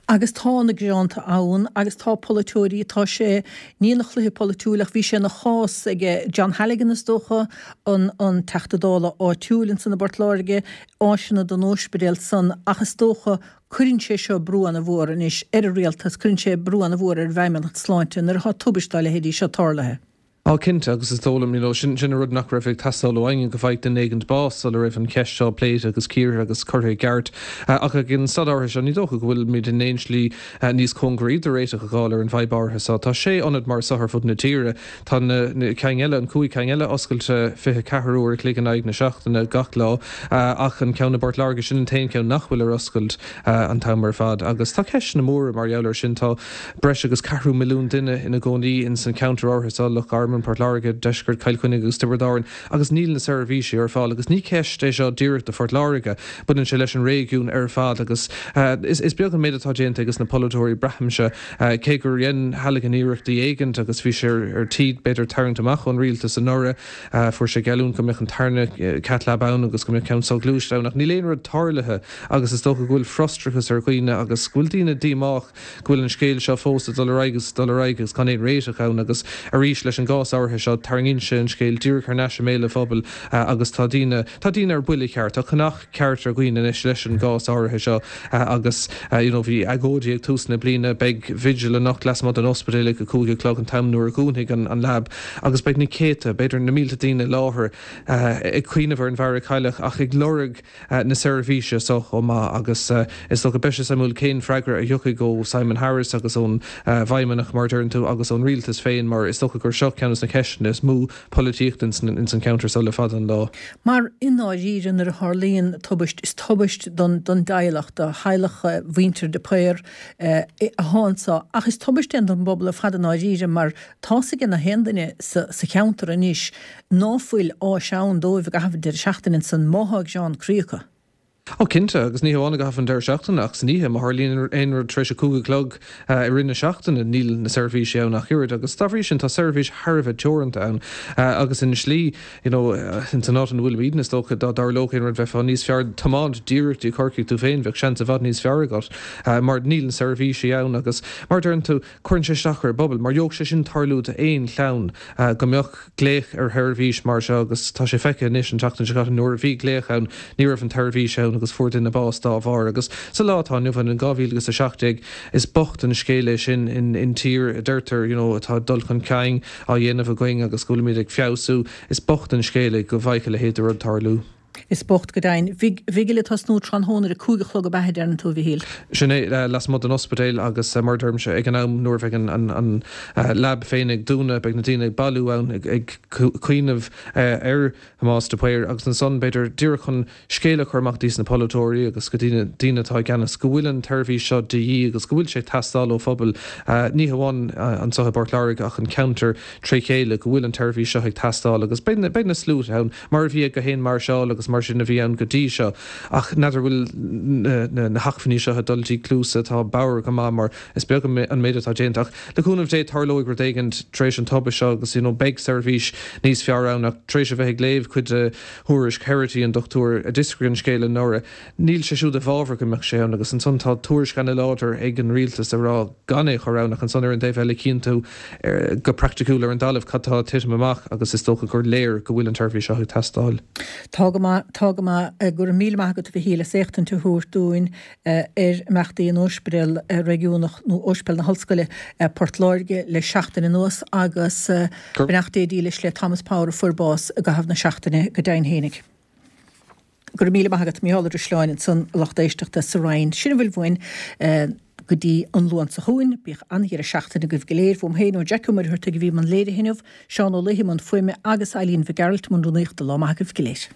Agus tá na gearáin ann agus tá polaiteoirí, tá sé, ní ina chluiche polaitiúil ach bhí sé ina chás ag John Halligan is dócha, an an Teachta Dála áitiúil ansan i bPort Láirge, áiseanna don ospidéal san ach is dócha cuireann sé seo brú ana-mhór anois ar an rialtas, cuireann sé brú ana-mhór ar an bhFeidhmeannacht Sláinte nuair atá tubaist dá leithéidí seo tarlaithe. Á cinnte, agus is dóigh liom, you know, sin sin an rud nach raibh ag teastáil ó éinne, go bhfaigheadh duine éigint bás sula raibh an cheist seo pléite agus cíortha agus curtha i gceart. Ach ag an staid áirithe seo, ní dócha go bhfuilimid in aon slí níos cóngaraí do réiteach a dh'fháil ar an bhfadhb áirithe seo. Tá sé ionad mar seo ar fud na tíre. Tá na na cinn eile, an cúig cinn eile, oscailte fiche ceathair uair a chloig in aghaidh na seachtaine gach lá, ach an ceann i bPort Láirge, sin an t-aon cheann nach bhfuil ar oscailt an t-am ar fad. Agus tá ceisteanna móra mar gheall air sin. Tá breis agus ceathrú milliún duine ina gcónaí ins an cheantar áirithe seo, Loch Garman, Port Láirge, Deisceart Chill Chainnigh agus Tiobraid Árann, agus níl na seirbhísí ar fáil. Agus ní ceist é seo díreach do Phort Láirge, baineann sé leis an réigiún ar fad agus is beag an méid atá déanta ages na polaiteoirí, braithimse, cé gur dhein Halligan iarrachtaí éigint agus bhí sé ar tí b'fhéidir tarraingt amach ón rialtas anuraidh, fuair sé geallúint go mbeadh an tarna cath lab ann agus go mbeadh ceann soghluaiste ann ach níl aon rud tarlaithe agus is dócha go bhfuil frustrachas ar dhaoine agus go bhfuil daoine díomách go bhfuil an scéal seo fós ag dul ar aghaidh agus ag dul ar aghaidh agus gan aon réiteach ann agus arís leis an gcás áirithe seo tarraingíonn sé an scéal díreach thar n-ais i mbéal an phobail agus tá daoine, tá daoine ar buile ceart, tá conach ceart ar dhaoine anois leis an gcás áirithe seo agus you know bhí agóidí ag tús na bliana, beidh vigil anocht lasmuigh den ospidéal ag a cúig a chlog an t-am nuair a dhúnfaidh an an lab agus beidh na céadta, b'fhéidir na mílte daoine i láthair ag cuimhneamh ar an bhfear a cailleadh ach ag lorg na seirbhíse so chomh maith agus is dócha beidh sé suimiúil cén freagra a thiocfaidh ó Simon Harris agus ón bhFeidhmeannach mar a deireann tú agus ón rialtas féin mar is dócha gur seo ceann de na ceisteanna is mó polaitíochta ins an cheantar so le fada an lá. Mar i ndáiríre nuair a tharlaíonn tubaist is tubaist don don dteaghlach, do theaghlach mhuintir de Paor atá anso ach is tubaist é don bpobal ar fad i ndáiríre mar tá's ag na haon duine sa sa cheantar anois ná fuil áis ann dóibh i gcaitheamh an deireadh seachtaine ansan má thá gearán croí acu. Ó cinnte, agus ní hamháin i gcaitheamh an deireadh seachtaine ach san oíche, má tharlaíonn aon rud tar éis a cúig a chlog i rith na seachtaine, níl na seirbhísí ann ach oiread agus dá bhrí sin tá seirbhís thar a bheith teoranta ann agus ina slí, you know, ins an áit ina bhfuilimidne is dócha dá dtarlódh aon rud bheifeá níos fearr tiomáint díreach dtí Corcaigh tú féin, bheadh seans i bhfad níos fearr agat mar níl na seirbhísí ann agus mar a deireann tú, cuireann sé isteach ar an bpobal mar gheobhadh sé sin tarlú d'aon chlann go mbeadh glaoch ar sheirbhís mar seo agus tá sé feicthe anois an tseachtain seo caite nuair a bhí glaoch ann ní raibh an tseirbhís ann agus fuair duine bás dá bharr agus sa lá atá inniu ann in dhá mhíle agus a seacht déag is bocht an scéal é sin in in tír a deirtear you know atá dul chun cinn á dhéanamh againn agus go bhfuilimid ag feabhsú is bocht an scéal é go bhfaigheadh a leithéid de rud tarlú. Is bocht go deimhin. Vigil ag tosnú tráthnóna ar a cúig a chlog ab ea a deireann tú, a Mhichíl? Sin é, lasmuigh den ospidéal agus mar a deirimse, ag an am nuair a bheidh an lab féin ag dúnadh, beidh na daoine ag bailiú ann ag cuimhneamh ar Thomás de Paor agus ansan b'fhéidir díreach chun scéal a chur amach dtí na polaiteoirí agus go dtí na daoine atá i gceannas go bhfuil an tseirbhís seo de dhíth agus go bhfuil sé ag teastáil ó phobal, ní hamháin anseo i bPort Láirge ach an ceantar tré chéile, go bhfuil an tseirbhís seo ag teastáil agus beidh na sluaite ann mar a bhí ag gach aon máirseáil agus agus mar sin a bhí ann go dtí seo. Ach n'fheadar bhfuil na hacmhainní seo ag dul dtí cluasa atá bodhar go maith mar is beag an méid atá déanta. Ach le cúnamh Dé tarlóidh rud éigin tar éis an tubaiste seo agus you know beidh seirbhís níos fearr ann ach tar éis a bheith ag léamh cuid de thuairisc Herity an dochtúir a d'fhiosraigh an scéal anuraidh, níl sé siúd i bhfabhar go mbeadh sé ann agus ansan tá tuairisc ana-láidir ag an rialtas ag rá gan é a chur ann ach ansan ar an dtaobh eile cíonn tú go praiticiúil ar an dtalamh cad tá ag titim amach agus is dócha gur léir go bhfuil an tseirbhís seo ag teastáil. Tá go maith, tá go maith. Go raibh míle maith agat a Mhichíl as éachtaint a thabhairt dúinn ar imeachtaí in Ospidéal Réigiúnach nó Ospidéal na hOllscoile, Port Láirge le seachtain anuas agus beannacht Dé dílis le Thomas Power a fuair bás i gcaitheamh na seachtaine go deimhin fhéinig. Go raibh míle maith agat, Mícheál Ó Drisleáin ansan, a lucht éisteachta sa Rinn. Sin a bhfuil uainn go dtí an Luan seo chugainn. Bíodh an-dheireadh seachtaine agaibh go léir. Uaim féin, ó Jackie Ó Muircheartaigh a bhí i mbun léirithe inniu, Seán Ó Laoithe i mbun fuaime agus Eileen Mhic Gearailt i mbun rúnaíochta. Lá maith agaibh go léir.